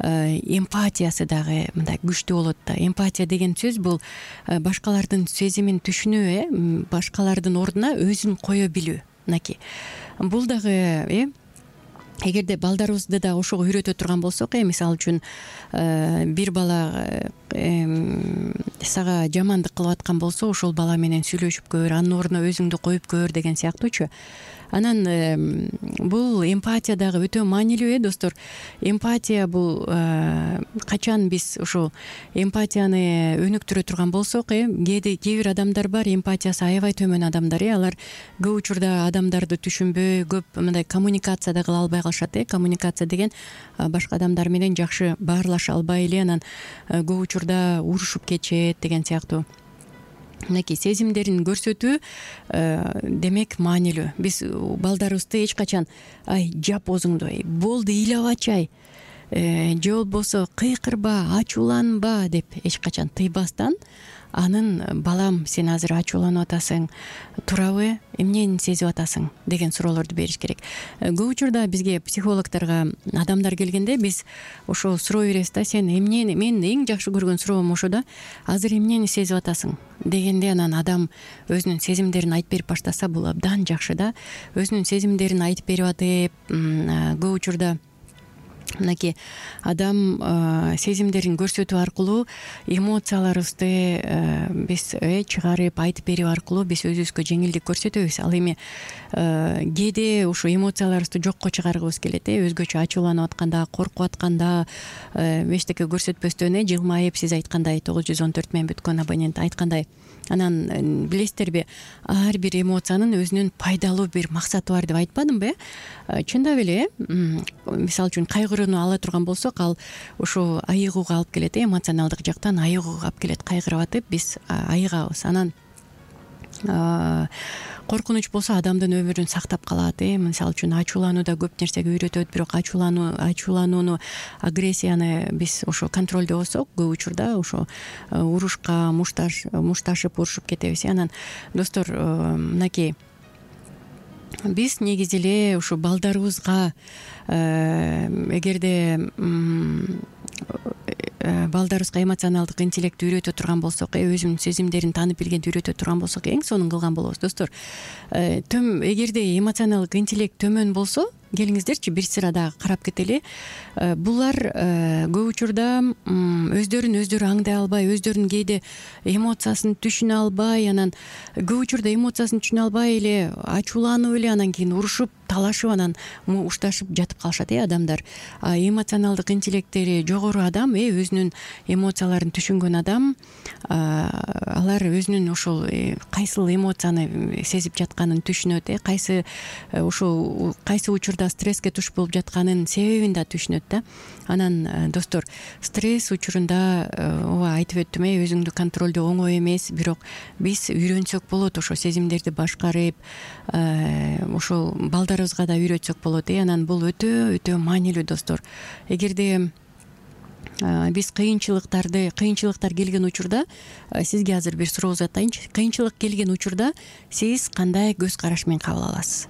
эмпатиясы дагы мындай күчтүү болот да. Эмпатия деген сөз бул башкалардын сезимин түшүнүү, башкалардын ордуна өзүн кое билүү. Мынакей бул дагы эгерде балдарыбызды да ошого үйрөтө турган болсок, мисалы үчүн бир бала сага жамандык кылып аткан болсо, ошол бала менен сүйлөшүп көр, анын ордуна өзүңдү коюп көр деген сыяктуучу. Анан бул эмпатия дагы өтө маанилүү достор. Эмпатия бул качан биз ушул эмпатияны өнүктүрө турган болсок, кээ бир адамдар бар, эмпатиясы аябай төмөн адамдар. Алар көп учурда адамдарды түшүнбөй, көп мындай коммуникация да кыла албай калышат. Коммуникация деген башка адамдар менен жакшы баарлаша албай эле анан көп учурда урушуп кетишет деген сыяктуу. Мынакей сезимдерин көрсөтүү демек маанилүү. Биз балдарыбызды эч качан жап оозуңду, болду ыйлабачы, же болбосо кыйкырба, ачууланба деп эч качан тыйбастан, анын балам сен азыр ачууланып атасың, турабы, эмнени сезип атасың деген суроолорду бериш керек. Көп учурда бизге психологторго адамдар келгенде биз ошо суроо беребиз да, сен эмнени, мен эң жакшы көргөн суроом ошо да, азыр эмнени сезип атасың дегенде анан адам өзүнүн сезимдерин айтып берип баштаса, бул абдан жакшы да. Өзүнүн сезимдерин айтып берип атып, көп учурда мынакей адам сезимдерин көрсөтүү аркылуу эмоцияларыбызды биз чыгарып айтып берүү аркылуу биз өзүбүзгө жеңилдик көрсөтөбүз. Ал эми кээде ушул эмоцияларыбызды жокко чыгаргыбыз келет, өзгөчө ачууланып атканда, коркуп атканда, эчтеке көрсөтпөстөн жылмайып, сиз айткандай 914 менен бүткөн абонент айткандай. Анан билесиздерби, ар бир эмоциянын өзүнүн пайдалуу бир максаты бар деп айтпадымбы? Чындап эле, мисалы үчүн кайгырууну ала турган болсок, ал ошо айыгууга алып келет, эмоционалдык жактан айыгууга алып келет. Кайгырып атып биз айыгабыз. Анан коркунуч болсо адамдын өмүрүн сактап калат. Мисалы үчүн ачуулануу да көп нерсеге үйрөтөт, бирок ачууланууну, агрессияны биз ошо контролдой болсок, көп учурда ошо урушка мушташып урушуп кетебиз. Анан достор, мынакей биз негизи эле ушу балдарыбызга эгерде балдарыбызга эмоционалдык интеллектти үйрөтө турган болсок, өзүнүн сезимдерин таанып билгенди үйрөтө турган болсок, эң сонун кылган болобуз достор. Эгерде эмоционалдык интеллект төмөн болсо, келиңиздерчи бир сырада карап кетели. Булар көп учурда өздөрүн өздөрү аңдай албай, өздөрүнүн кээде эмоциясын түшүнө албай, анан көп учурда эмоциясын түшүнө албай эле ачууланып эле анан кийин урушуп, талашып, анан ушташып жатып калышат адамдар. Эмоционалдык интеллекттери жогору адам, өзүнүн эмоцияларын түшүнгөн адам, алар өзүнүн ошол кайсыл эмоцияны сезип жатканын түшүнөт, кайсы учурда стресске туш болуп жатканын себебин да түшүнөт да. Анан достор, стресс учурунда ооба айтып өттүм, өзүңдү контролдоо оңой эмес, бирок биз үйрөнсөк болот, ошо сезимдерди башкарып, ошол балдарыбызга да үйрөтсөк болот. Анан бул өтө маанилүү достор. Эгерде биз кыйынчылыктар келген учурда, сизге азыр бир суроо узатайынчы. Кыйынчылык келген учурда сиз кандай көз караш менен кабыл аласыз?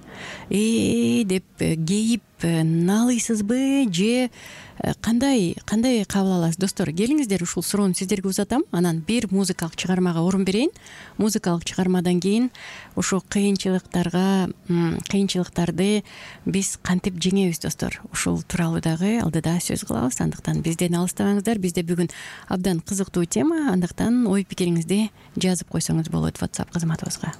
Деп кейип налыйсызбы же кандай кабыл аласыз достор? Келиңиздер, ушул суроону сиздерге узатам. Анан бир музыкалык чыгармага орун берейин. Музыкалык чыгармадан кийин ошо кыйынчылыктарды биз кантип жеңебиз достор? Ушул тууралуу дагы алдыда сөз кылабыз. Андыктан бизден алыстабаңыздар. Бизде бүгүн абдан кызыктуу тема. Андыктан ой пикириңизди жазып койсоңуз болот WhatsApp кызматыбызга.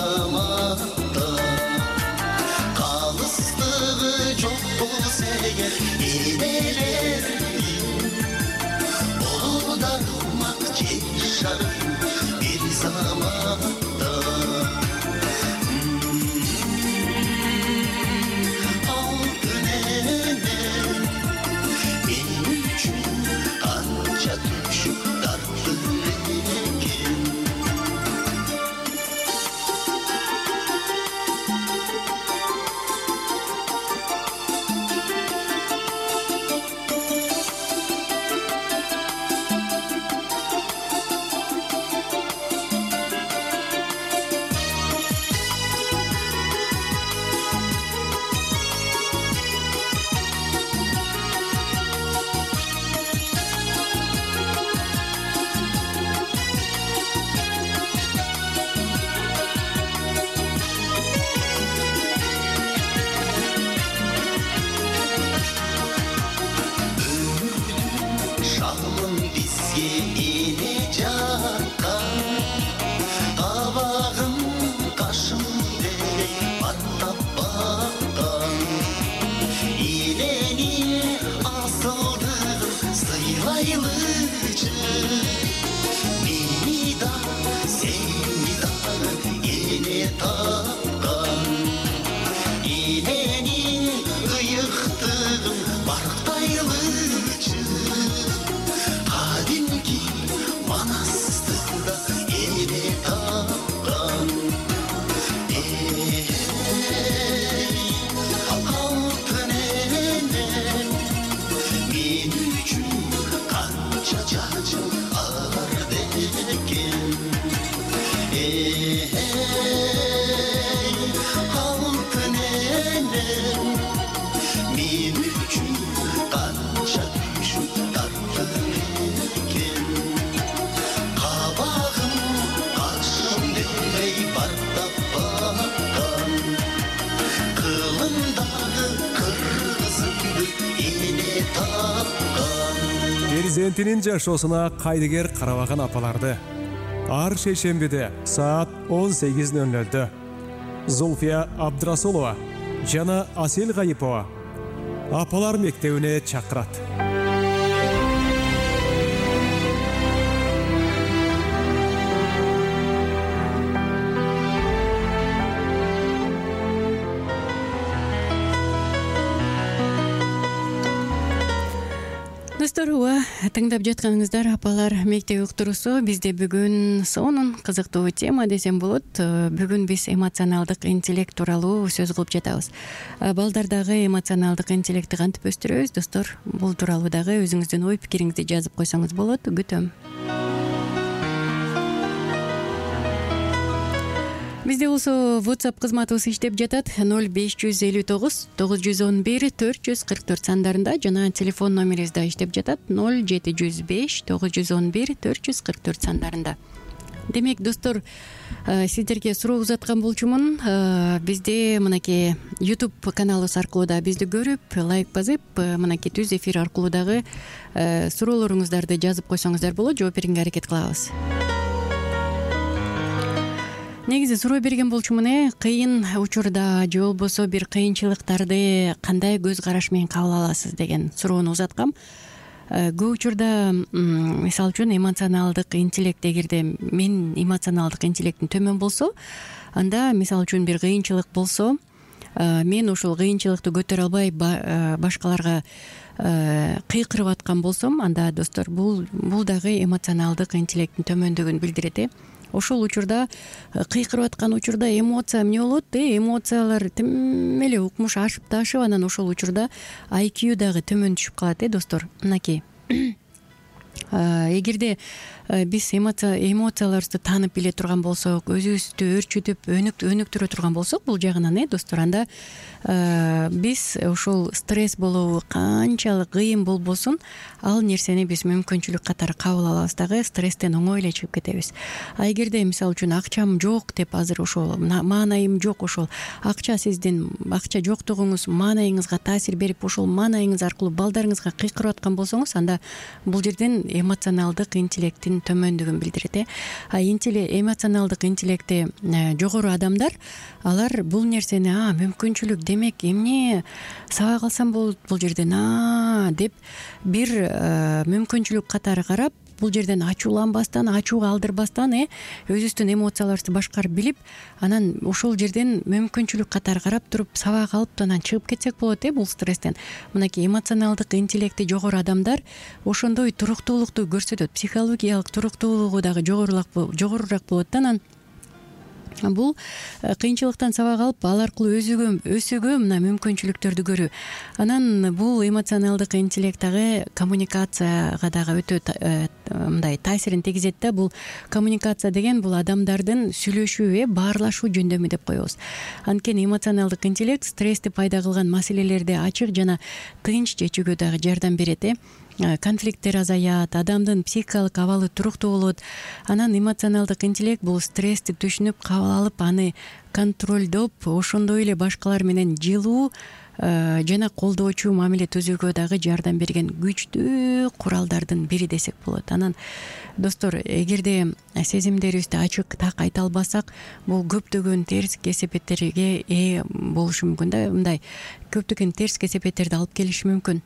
заматта калыстыгы жок болсо эгер энелердин болобу дармак жашарым бир заматта. Алтын эне мен үчүн канча түшүп тартты экен. Шамым бизге эне жаккан, табагым кашым деле баттап баккан. Эненин асылдыгын сыйлайлычы, мени да сени дагы эне тапкан. Эненин ыйыктыгын барктайлычы, кадимки манастыда эне тапкан. Эй, алтын энем, мен үчүн канча жашыл арды экен. Эй, алтын энем, мен үчүн канча түшүп тартты экен. Кабагым кашым демей бартап баккан, кылымдагы кыргызымды эне тапкан. Перзентинин жашоосуна кайдыгер карабаган апаларды ар шейшембиде саат 18:00 Зульфия Абдрасулова жана Асел Гайипова апалар мектебине чакырат. Достор, тыңдап жатканыңыздар апалар мектеби уктуруусу. Бизде бүгүн сонун кызыктуу тема десем болот. Бүгүн биз эмоционалдык интеллект тууралуу сөз кылып жатабыз. Балдардагы эмоционалдык интеллектти кантип өстүрөбүз? Достор, бул тууралуу дагы өзүңүздүн ой пикириңизди жазып койсоңуз болот. Күтөм. Бизде болсо WhatsApp кызматыбыз иштеп жатат. 0559 911 444 сандарында жана телефон номерибиз да иштеп жатат. 0705 911 444 сандарында. Демек, достор, сиздерге суроо узаткан болчумун. Бизде мынакей YouTube каналыбыз аркылуу да бизди көрүп, лайк басып, мынакей түз эфир аркылуу дагы суроолоруңуздарды жазып койсоңуздар болот. Жооп берүүгө аракет кылабыз. Негизи суроо берген болчумун, кыйын учурда же болбосо бир кыйынчылыктарды кандай көз караш менен кабыл аласыз деген суроону узаткам. Көп учурда, мисалы үчүн, эмоционалдык интеллект, эгерде мен эмоционалдык интеллектим төмөн болсо, анда мисалы үчүн бир кыйынчылык болсо, мен ошол кыйынчылыкты көтөрө албай башкаларга кыйкырып аткан болсом, анда, достор, бул дагы эмоционалдык интеллекттин төмөндүгүн билдирет. Ошол учурда, кыйкырып аткан учурда эмоция эмне болот? Эмоциялар тим эле укмуш ашып ташып, анан ошол учурда IQ дагы төмөн түшүп калат, достор. Мынакей. Эгерде биз эмоцияларыбызды таанып биле турган болсок, өзүбүздү өрчүтүп, өнүктүрө турган болсок, бул жагынан, достор, анда биз ошол стресс болобу канчалык кыйын болбосун, ал нерсени биз мүмкүнчүлүк катары кабыл алабыз дагы, стресстен оңой эле чыгып кетебиз. А эгерде, мисалы үчүн, акчам жок деп, азыр ошол маанайым жок, ошол сиздин акча жоктугуңуз маанайыңызга таасир берип, ошол маанайыңыз аркылуу балдарыңызга кыйкырып аткан болсоңуз, анда бул жерден эмоционалдык интеллекттин интеллектинин төмөндүгүн билдирет. Эмоционалдык интеллекти жогору адамдар алар бул нерсени мүмкүнчүлүк демек эмне сабак алсам болот бул жерден деп бир мүмкүнчүлүк катары карап, бул жерден ачууланбастан, ачууга алдырбастан өзүбүздүн эмоцияларыбызды башкарып билип, анан ошол жерден мүмкүнчүлүк катары карап туруп сабак алып анан чыгып кетсек болот бул стресстен. Мынакей эмоционалдык интеллекти жогору адамдар ошондой туруктуулукту көрсөтөт, психологиялык туруктуулугу дагы жогорураак болот да. Анан бул кыйынчылыктан сабак алып, ал аркылуу өсүүгө мына мүмкүнчүлүктөрдү көрүү. Анан бул эмоционалдык интеллект дагы коммуникацияга дагы өтө мындай таасирин тийгизет да. Бул коммуникация деген бул адамдардын сүйлөшүү, баарлашуу жөндөмү деп коебуз. Анткени эмоционалдык интеллект стрессти пайда кылган маселелерди ачык жана тынч чечүүгө дагы жардам берет. Конфликттер азаят, адамдын психикалык абалы туруктуу болот. Анан эмоционалдык интеллект бул стрессти түшүнүп, кабыл алып, аны контролдоп, ошондой эле башкалар менен жылуу жана колдоочу мамиле түзүүгө дагы жардам берген күчтүү куралдардын бири десек болот. Анан достор, эгерде сезимдерибизди ачык так айта албасак, бул көптөгөн терс кесепеттерге болушу мүмкүн да. Мындай көптөгөн терс кесепеттерди алып келиши мүмкүн.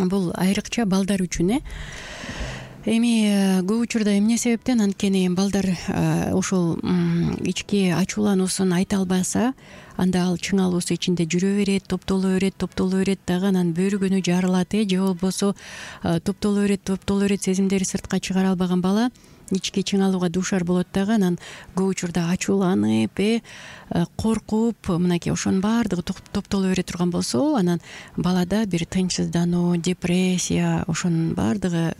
Бул айрыкча балдар үчүн. Эми көп учурда эмне себептен? Анткени балдар ошол ички ачуулануусун айта албаса, анда ал чыңалуусу ичинде жүрө берет, топтоло берет дагы, анан бөйрөгөнү жарылат, же болбосо топтоло берет, сезимдери сыртка чыгара албаган бала ички чыңалууга дуушар болот дагы. Анан көп учурда ачууланып, коркуп, мынакей ошонун баардыгы топтоло бере турган болсо, анан балада бир тынчсыздануу, депрессия, ошонун баардыгы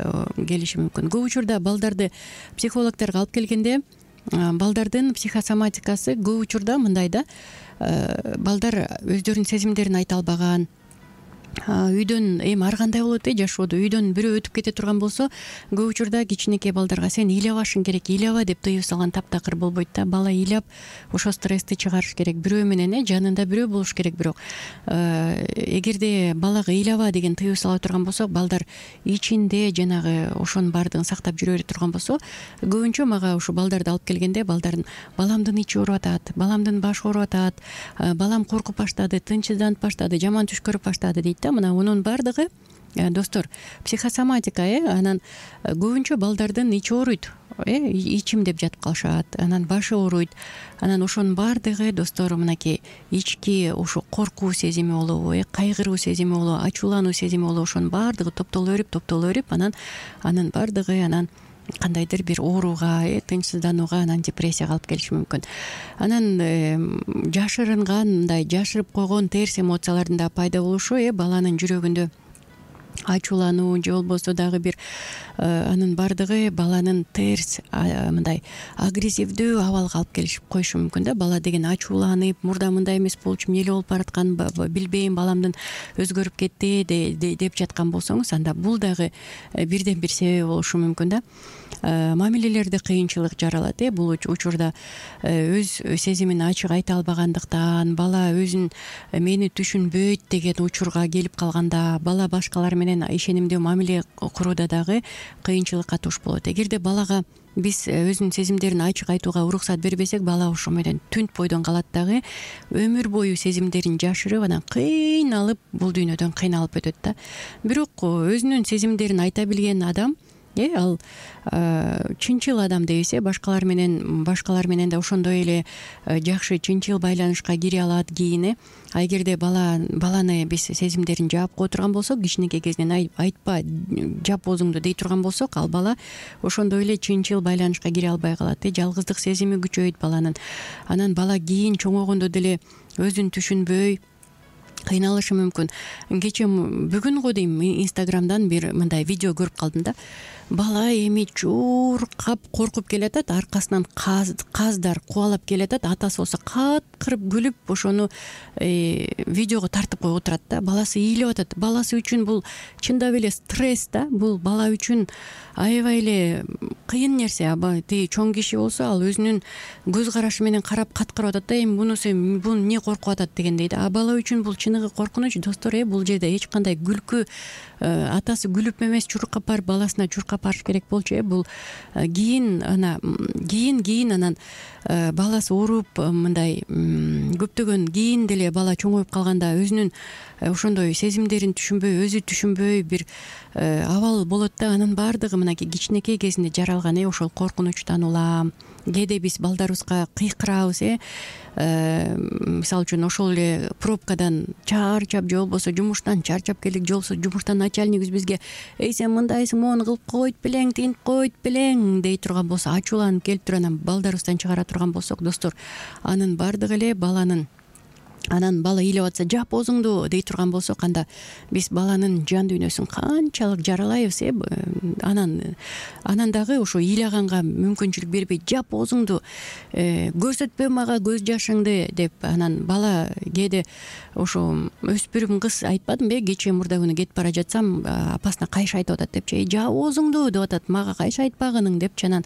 келиши мүмкүн. Көп учурда балдарды психологдорго алып келгенде, балдардын психосоматикасы көп учурда мындай да, балдар өздөрүнүн сезимдерин айта албаган, үйдөн эми ар кандай болот жашоодо, үйдөн бирөө өтүп кете турган болсо, көп учурда кичинекей балдарга сен ыйлабашың керек, ыйлаба деп тыюу салган таптакыр болбойт да. Бала ыйлап ошо стрессти чыгарыш керек, бирөө менен жанында бирөө болуш керек. Бирок эгерде балага ыйлаба деген тыюу сала турган болсок, балдар ичинде жанагы ошонун баардыгын сактап жүрө бере турган болсо, көбүнчө мага ушу балдарды алып келгенде, баламдын ичи ооруп атат, баламдын башы ооруп атат, балам коркуп баштады, тынчсызданып баштады, жаман түш көрүп баштады дейт. Мына мунун баардыгы достор психосоматика. Анан көбүнчө балдардын ичи ооруйт, ичим деп жатып калышат, анан башы ооруйт. Анан ошонун баардыгы достор мынакей ички ошо коркуу сезими болобу, кайгыруу сезими болобу, ачуулануу сезими болобу, ошонун баардыгы топтоло берип, анан баардыгы кандайдыр бир ооруга, тынчсызданууга, анан депрессияга алып келиши мүмкүн. Анан жашырынган, мындай жашырып койгон терс эмоциялардын да пайда болушу, баланын жүрөгүндө ачуулануу же болбосо дагы бир анын баардыгы баланын терс мындай агрессивдүү абалга алып келишип коюшу мүмкүн да. Бала деген ачууланып, мурда мындай эмес болчу, эмне эле болуп бараткан, билбейм, баламдын өзгөрүп кетти деп жаткан болсоңуз, анда бул дагы бирден бир себеби болушу мүмкүн да. Мамилелерде кыйынчылык жаралат. Бул учурда өз сезимин ачык айта албагандыктан, бала өзүн мени түшүнбөйт деген учурга келип калганда, бала башкалар менен ишенимдүү мамиле курууда дагы кыйынчылыкка туш болот. Эгерде балага биз өзүнүн сезимдерин ачык айтууга уруксат бербесек, бала ошо менен түнт бойдон калат дагы, өмүр бою сезимдерин жашырып, анан кыйналып, бул дүйнөдөн кыйналып өтөт да. Бирок өзүнүн сезимдерин айта билген адам, ал чынчыл адам дейбиз, башкалар менен да ошондой эле жакшы чынчыл байланышка кире алат кийин. Эгерде баланы биз сезимдерин жаап кое турган болсок, кичинекей кезинен айтпа, жап оозуңду дей турган болсок, ал бала ошондой эле чынчыл байланышка кире албай калат. Жалгыздык сезими күчөйт баланын. Анан бала кийин чоңойгондо деле өзүн түшүнбөй кыйналышы мүмкүн. Кечээ бүгүн го дейм, Инстаграмдан бир мындай видео көрүп калдым да. Бала эми чуркап коркуп келатат, аркасынан каздар кубалап келатат, атасы болсо каткырып күлүп ошону видеого тартып коюп отурат да. Баласы ыйлап атат. Баласы үчүн бул чындап эле стресс да. Бул бала үчүн аябай эле кыйын нерсе. Тиги чоң киши болсо, ал өзүнүн көз карашы менен карап каткырып атат да, эми бул эмне коркуп атат дегендей да. Бала үчүн бул чыныгы коркунуч достор. Бул жерде эч кандай күлкү, атасы күлүп эмес чуркап барып баласына чуркап алып барыш керек болчу. Бул кийин анан баласы ооруп мындай көптөгөн кийин деле бала чоңоюп калганда өзүнүн ошондой сезимдерин түшүнбөй, өзү түшүнбөй бир абал болот да. Анын баардыгы мынакей кичинекей кезинде жаралган. Ошол коркунучтан улам, кээде биз балдарыбызга кыйкырабыз. Мисалы үчүн ошол эле пробкадан чарчап же болбосо жумуштан чарчап келдик, же болбосо жумуштан начальнигибиз бизге сен мындайсың, моуну кылып койт белең, тигинтип койт белең дей турган болсо, ачууланып келип туруп анан балдарыбыздан чыгара турган болсок, достор, анын баардыгы эле анан бала ыйлап атса жап оозуңду дей турган болсок, анда биз баланын жан дүйнөсүн канчалык жаралайбыз. Анан дагы ошо ыйлаганга мүмкүнчүлүк бербей жап оозуңду, көрсөтпө мага көз жашыңды деп, анан бала кээде ошо өспүрүм кыз айтпадымбы, кечээ мурда күнү кетип бара жатсам апасына кайшы айтып атат депчи, жап оозуңду деп атат, мага кайшы айтпагының депчи. Анан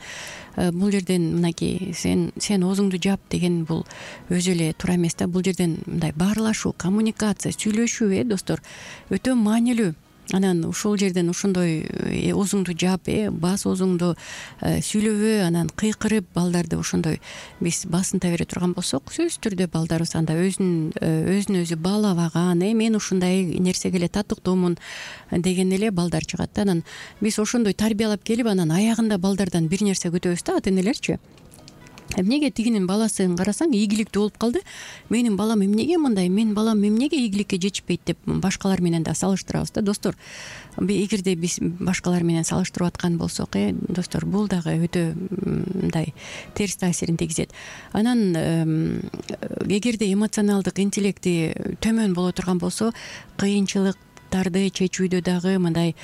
бул жерден мынакей сен оозуңду жап деген бул өзү эле туура эмес да. Бул жерден мындай баарлашуу, коммуникация, сүйлөшүү достор өтө маанилүү. Анан ушул жерден ошондой оозуңду жап, бас оозуңду сүйлөбө, анан кыйкырып балдарды ошондой биз басынта бере турган болсок, сөзсүз түрдө балдарыбыз анда өзүн өзү баалабаган, мен ушундай нерсеге эле татыктуумун деген эле балдар чыгат. Анан биз ошондой тарбиялап келип, анан аягында балдардан бир нерсе күтөбүз да, ата энелерчи. Эмнеге тигинин баласын карасаң ийгиликтүү болуп калды, менин балам эмнеге мындай, менин балам эмнеге ийгиликке жетишпейт деп башкалар менен да салыштырабыз да, достор. Эгерде биз башкалар менен салыштырып аткан болсок, достор, бул дагы өтө мындай терс таасирин тийгизет. Анан эгерде эмоционалдык интеллекти төмөн боло турган болсо, кыйынчылыктарды чечүүдө дагы мындай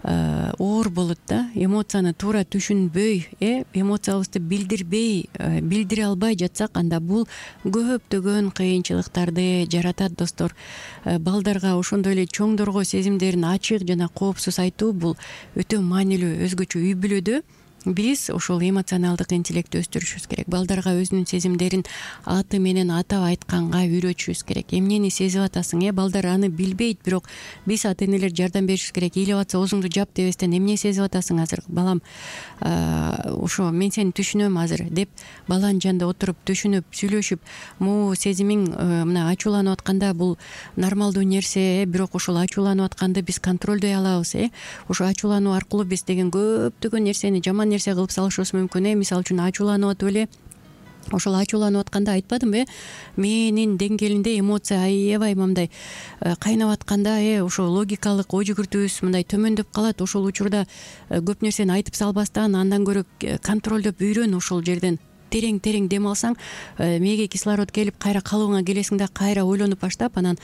оор болот да. Эмоцияны туура түшүнбөй, эмоциябызды билдире албай жатсак, анда бул көптөгөн кыйынчылыктарды жаратат, достор. Балдарга ошондой эле чоңдорго сезимдерин ачык жана коопсуз айтуу бул өтө маанилүү. Өзгөчө үй бүлөдө биз ошол эмоционалдык интеллектти өстүрүшүбүз керек. Балдарга өзүнүн сезимдерин аты менен атап айтканга үйрөтүшүбүз керек. Эмнени сезип атасың? Балдар аны билбейт, бирок биз ата энелер жардам беришибиз керек. Ыйлап атса оозуңду жап дебестен, эмне сезип атасың азыр балам, ошо мен сени түшүнөм азыр деп баланын жанында отуруп түшүнүп сүйлөшүп, могу сезимиң мына ачууланып атканда бул нормалдуу нерсе, бирок ошол ачууланып атканды биз контролдой алабыз. Ошо ачуулануу аркылуу биз деген көптөгөн нерсени, жаман нерсе кылып салышыбыз мүмкүн. Мисалы үчүн ачууланып атып эле ошол ачууланып атканда айтпадымбы, менин деңгээлинде эмоция аябай мындай кайнап атканда ошо логикалык ой жүгүртүүбүз мындай төмөндөп калат. Ошол учурда көп нерсени айтып салбастан, андан көрө контролдоп үйрөн. Ошол жерден терең дем алсаң, мээге кислород келип кайра калыбыңа келесиң да, кайра ойлонуп баштап, анан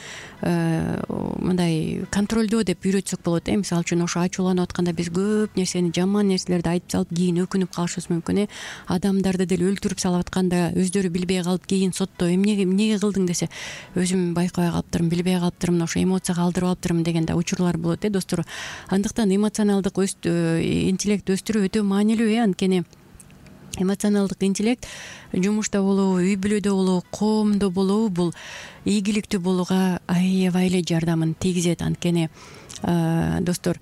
мындай контролдоо деп үйрөтсөк болот. Мисалы үчүн ошо ачууланып атканда биз көп нерсени, жаман нерселерди айтып салып, кийин өкүнүп калышыбыз мүмкүн. Адамдарды деле өлтүрүп салып атканда өздөрү билбей калып, кийин сотто эмнеге кылдың десе, өзүм байкабай калыптырмын, билбей калыптырмын, ошо эмоцияга алдырып алыптырмын деген да учурлар болот, достор. Андыктан эмоционалдык интеллект өстүрүү өтө маанилүү. Анткени эмоционалдык интеллект жумушта болобу, үй бүлөдө болобу, коомдо болобу, бул ийгиликтүү болууга аябай эле жардамын тийгизет. Анткени достор,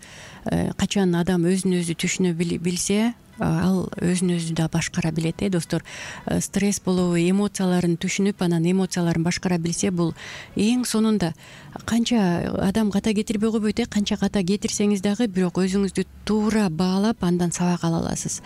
качан адам өзүн өзү түшүнө билсе, ал өзүн өзү да башкара билет. Достор, стресс болобу, эмоцияларын түшүнүп, анан эмоцияларын башкара билсе, бул эң сонунда канча адам ката кетирбей койбойт. Канча ката кетирсеңиз дагы, бирок өзүңүздү туура баалап, андан сабак ала аласыз.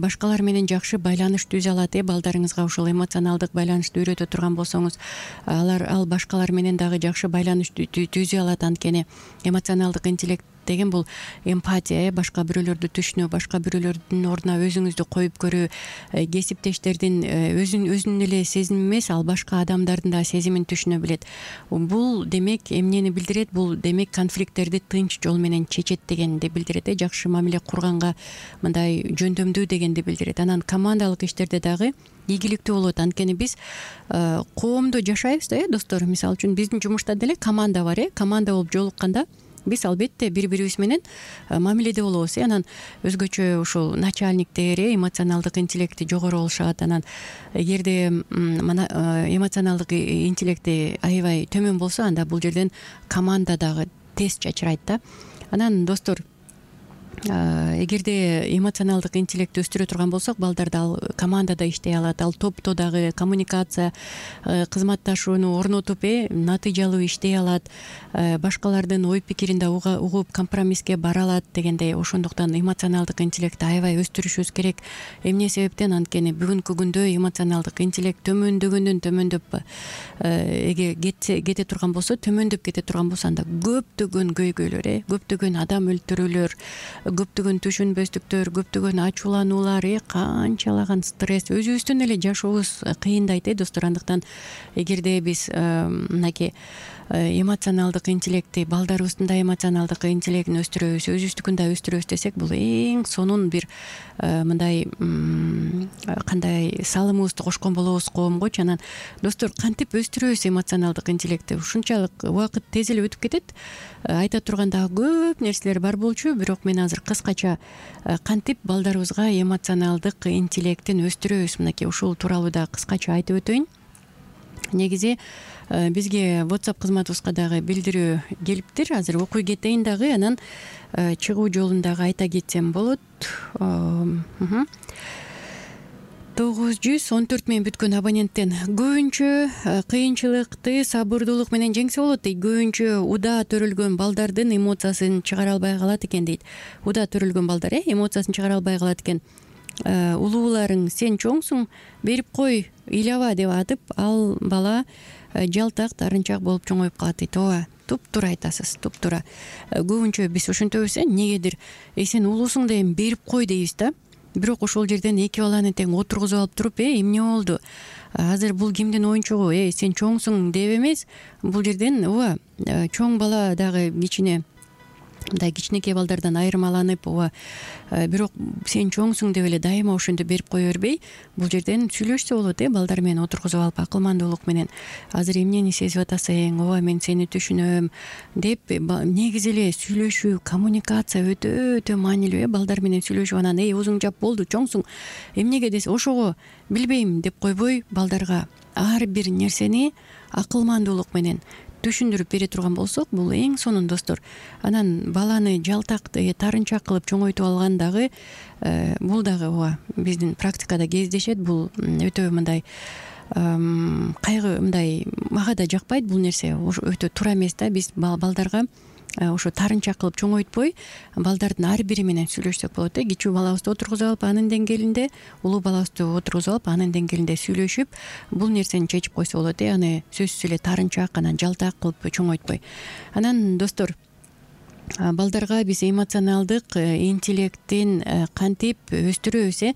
Башкалар менен жакшы байланыш түзө алат. Балдарыңызга ошол эмоционалдык байланышты үйрөтө турган болсоңуз, ал башкалар менен дагы жакшы байланыш түзө алат. Анткени эмоционалдык интеллект деген бул эмпатия, башка бирөөлөрдү түшүнүү, башка бирөөлөрдүн ордуна өзүңүздү коюп көрүү, кесиптештердин өзүнүн эле сезими эмес, ал башка адамдардын да сезимин түшүнө билет. Бул демек эмнени билдирет? Бул демек конфликттерди тынч жол менен чечет дегенди билдирет. Жакшы мамиле курганга мындай жөндөмдүү дегенди билдирет. Анан командалык иштерде дагы ийгиликтүү болот. Анткени биз коомдо жашайбыз да, достор. Мисалы үчүн биздин жумушта деле команда бар. Команда болуп жолукканда биз албетте бири-бирибиз менен мамиледе болобуз. Анан өзгөчө ушул начальниктер эмоционалдык интеллекти жогору болушат. Анан эгерде эмоционалдык интеллекти аябай төмөн болсо, анда бул жерден команда дагы тез чачырайт да. Анан достор, эгерде эмоционалдык интеллектти өстүрө турган болсок, балдарда ал командада иштей алат, ал топто дагы коммуникация, кызматташууну орнотуп натыйжалуу иштей алат, башкалардын ой пикирин да угуп компромисске бара алат дегендей. Ошондуктан эмоционалдык интеллектти аябай өстүрүшүбүз керек. Эмне себептен? Анткени бүгүнкү күндө эмоционалдык интеллект төмөндөп кете турган болсо, анда көптөгөн көйгөйлөр, көптөгөн адам өлтүрүүлөр, көптөгөн түшүнбөстүктөр, көптөгөн ачуулануулар, канчалаган стресс, өзүбүздүн эле жашообуз кыйындайт достор. Андыктан эгерде биз мынакей эмоционалдык интеллектти, балдарыбыздын да эмоционалдык интеллектин өстүрөбүз, өзүбүздүкүн да өстүрөбүз десек, бул эң сонун бир мындай кандай салымыбызды кошкон болобуз коомгочу. Анан достор, кантип өстүрөбүз эмоционалдык интеллектти? Ушунчалык убакыт тез эле өтүп кетет. Айта турган дагы көп нерселер бар болчу, бирок мен азыр кыскача кантип балдарыбызга эмоционалдык интеллектин өстүрөбүз, мынакей ушул тууралуу да кыскача айтып өтөйүн. Негизи бизге WhatsApp кызматыбызга дагы билдирүү келиптир. Азыр окуй кетейин дагы, анан чыгуу жолун дагы айта кетсем болот. 914 мен бүткөн абоненттен көбүнчө кыйынчылыкты сабырдуулук менен жеңсе болот дейт. Көбүнчө удаа төрөлгөн балдардын эмоциясын чыгара албай калат экен дейт. Удаа төрөлгөн балдар эмоциясын чыгара албай калат экен. Улууларың сен чоңсуң, берип кой, ыйлаба деп атып, ал бала жалтак, тарынчак болуп чоңоюп калат дейт. Ооба, туптуура айтасыз, туптуура. Көбүнчө биз ошентебиз, негедир сен улуусуң да эми берип кой дейбиз да. Бирок ошол жерден эки баланы тең отургузуп алып туруп, эмне болду? Азыр бул кимдин оюнчугу? Сен чоңсуң деп эмес, бул жерден ооба, чоң бала дагы мындай кичинекей балдардан айырмаланып, бирок сен чоңсуң деп эле дайыма ошентип берип кое бербей, бул жерден сүйлөшсө болот, балдар менен отургузуп алып акылмандуулук менен. Азыр эмнени сезип атасың? Ооба, мен сени түшүнөм деп негизи эле сүйлөшүү, коммуникация өтө маанилүү. Балдар менен сүйлөшүп, анан оозуң жап, болду, чоңсуң, эмнеге десе, ошого билбейм деп койбой, балдарга ар бир нерсени акылмандуулук менен түшүндүрүп бере турган болсок, бул эң сонун достор. Анан баланы жалтак, тарынчак кылып чоңойтуп алган дагы, бул дагы биздин практикада кездешет. Бул өтө мындай кайгы, мындай мага да жакпайт бул нерсе. Өтө туура эмес да. Биз балдарга ошо тарынчак кылып чоңойтпой, балдардын ар бири менен сүйлөшсөк болот. Кичүү балабызды отургузуп алып, анын деңгээлинде, улуу балабызды отургузуп алып, анын деңгээлинде сүйлөшүп, бул нерсени чечип койсо болот. Аны сөзсүз эле тарынчак, анан жалтак кылып чоңойтпой. Анан достор, балдарга биз эмоционалдык интеллектин кантип өстүрөбүз?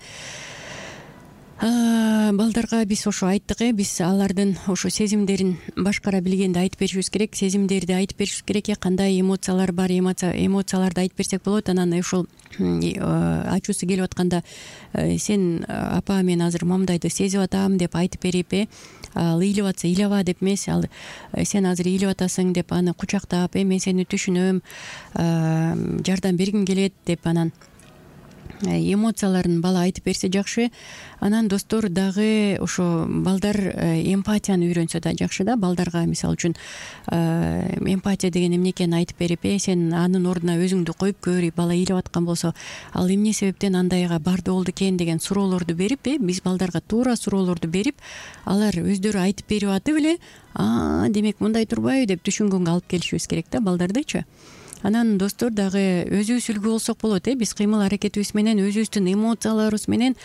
Балдарга биз ошо айттык, биз алардын ошо сезимдерин башкара билгенди айтып беришибиз керек, сезимдерди айтып беришибиз керек. Кандай эмоциялар бар, эмоцияларды айтып берсек болот. Анан ушул ачуусу келип атканда, сен апа, мен азыр момундайды сезип атам деп айтып берип, ал ыйлап атса ыйлаба деп эмес, ал сен азыр ыйлап атасың деп аны кучактап, мен сени түшүнөм, жардам бергим келет деп анан эмоцияларын бала айтып берсе жакшы. Анан достор, дагы ошо балдар эмпатияны үйрөнсө да жакшы да. Балдарга мисалы үчүн эмпатия деген эмне экенин айтып берип, сен анын ордуна өзүңдү коюп көр, бала ыйлап аткан болсо, ал эмне себептен андайга барды болду экен деген суроолорду берип, биз балдарга туура суроолорду берип, алар өздөрү айтып берип атып эле, демек мындай турбайбы деп түшүнгөнгө алып келишибиз керек да балдардычы. Анан достор, дагы өзүбүз үлгү болсок болот. Биз кыймыл аракетибиз менен, өзүбүздүн эмоцияларыбыз менен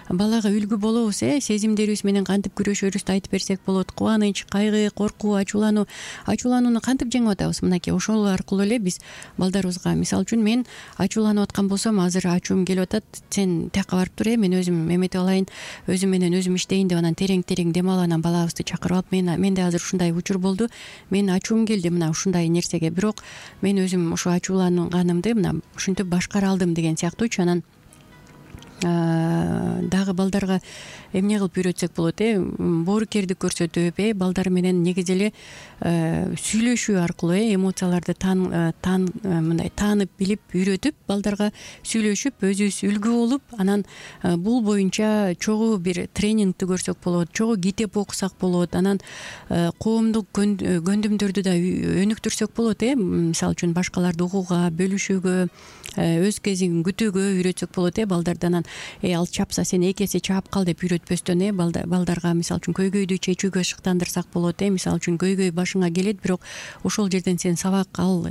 балага үлгү болобуз. Сезимдерибиз менен кантип күрөшөрүбүздү айтып берсек болот. Кубаныч, кайгы, коркуу, ачууланууну кантип жеңип атабыз? Мынакей ошол аркылуу эле биз балдарыбызга, мисалы үчүн, мен ачууланып аткан болсом, азыр ачуум келип атат, сен тияка барып тур, мен өзүм эметип алайын, өзүм менен өзүм иштейин деп, анан терең дем алып, анан балабызды чакырып алып, менде азыр ушундай учур болду, мен ачуум келди мына ушундай нерсеге, бирок мен өзүм ошо ачууланганымды мына ушинтип башкара алдым деген сыяктуучу. Анан дагы балдарга эмне кылып үйрөтсөк болот, боорукердик көрсөтүп, балдар менен негизи эле сүйлөшүү аркылуу эмоцияларды мындай таанып билип үйрөтүп, балдарга сүйлөшүп өзүбүз үлгү болуп, анан бул боюнча чогуу бир тренингди көрсөк болот, чогуу китеп окусак болот, анан коомдук көндүмдөрдү да өнүктүрсөк болот, мисалы үчүн башкаларды угууга, бөлүшүүгө, өз кезин күтүүгө үйрөтсөк болот, балдарды. Анан ал чапса сен эки эсе чаап кал деп үйрөтпөстөн, балдарга мисалы үчүн көйгөйдү чечүүгө шыктандырсак болот, мисалы үчүн көйгөй башыңа келет, бирок ошол жерден сен сабак ал,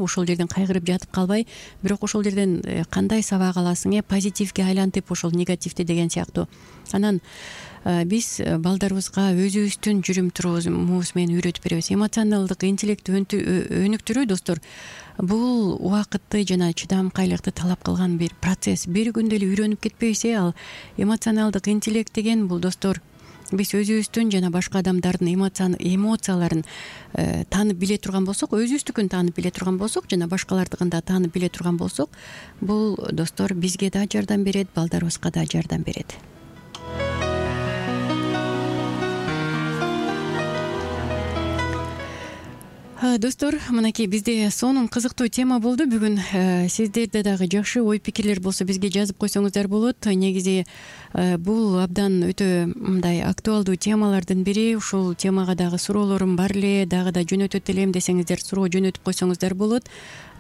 ошол жерден кайгырып жатып калбай, бирок ошол жерден кандай сабак аласың, позитивге айлантып ошол негативди деген сыяктуу. Анан биз балдарыбызга өзүбүздүн жүрүм турумубуз менен үйрөтүп беребиз. Эмоционалдык интеллектти өнүктүрүү, достор, бул убакытты жана чыдамкайлыкты талап кылган бир процесс. Бир күндө эле үйрөнүп кетпейбиз. Ал эмоционалдык интеллект деген бул, достор, биз өзүбүздүн жана башка адамдардын эмоцияларын таанып биле турган болсок, өзүбүздүкүн таанып биле турган болсок, жана башкалардыкын да таанып биле турган болсок, бул, достор, бизге да жардам берет, балдарыбызга да жардам берет. Достор, мынакей бизде сонун кызыктуу тема болду бүгүн. Сиздерде дагы жакшы ой пикирлер болсо бизге жазып койсоңуздар болот. Негизи бул абдан өтө мындай актуалдуу темалардын бири. Ушул темага дагы суроолорум бар эле, дагы да жөнөтөт элем десеңиздер, суроо жөнөтүп койсоңуздар болот.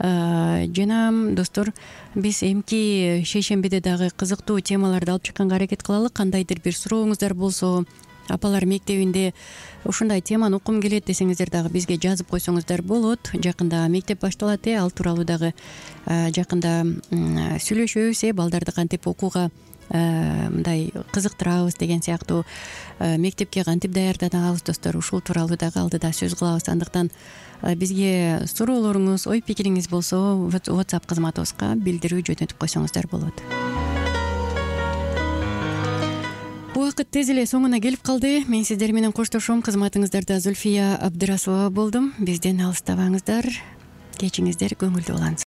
Жана, достор, биз эмки шейшембиде дагы кызыктуу темаларды алып чыкканга аракет кылалы. Кандайдыр бир сурооңуздар болсо, апалар мектебинде ушундай теманы уккум келет десеңиздер дагы бизге жазып койсоңуздар болот. Жакында мектеп башталат, ал тууралуу дагы жакында сүйлөшөбүз, балдарды кантип окууга мындай кызыктырабыз деген сыяктуу, мектепке кантип даярданабыз, достор, ушул тууралуу дагы алдыда сөз кылабыз. Андыктан бизге суроолоруңуз, ой пикириңиз болсо WhatsApp кызматыбызга билдирүү жөнөтүп койсоңуздар болот. Убакыт тез эле соңуна келип калды. Мен сиздер менен коштошом. Кызматыңыздарда Зульфия Абдрасулова болдум. Бизден алыстабаңыздар. Кечиңиздер көңүлдүү улансын.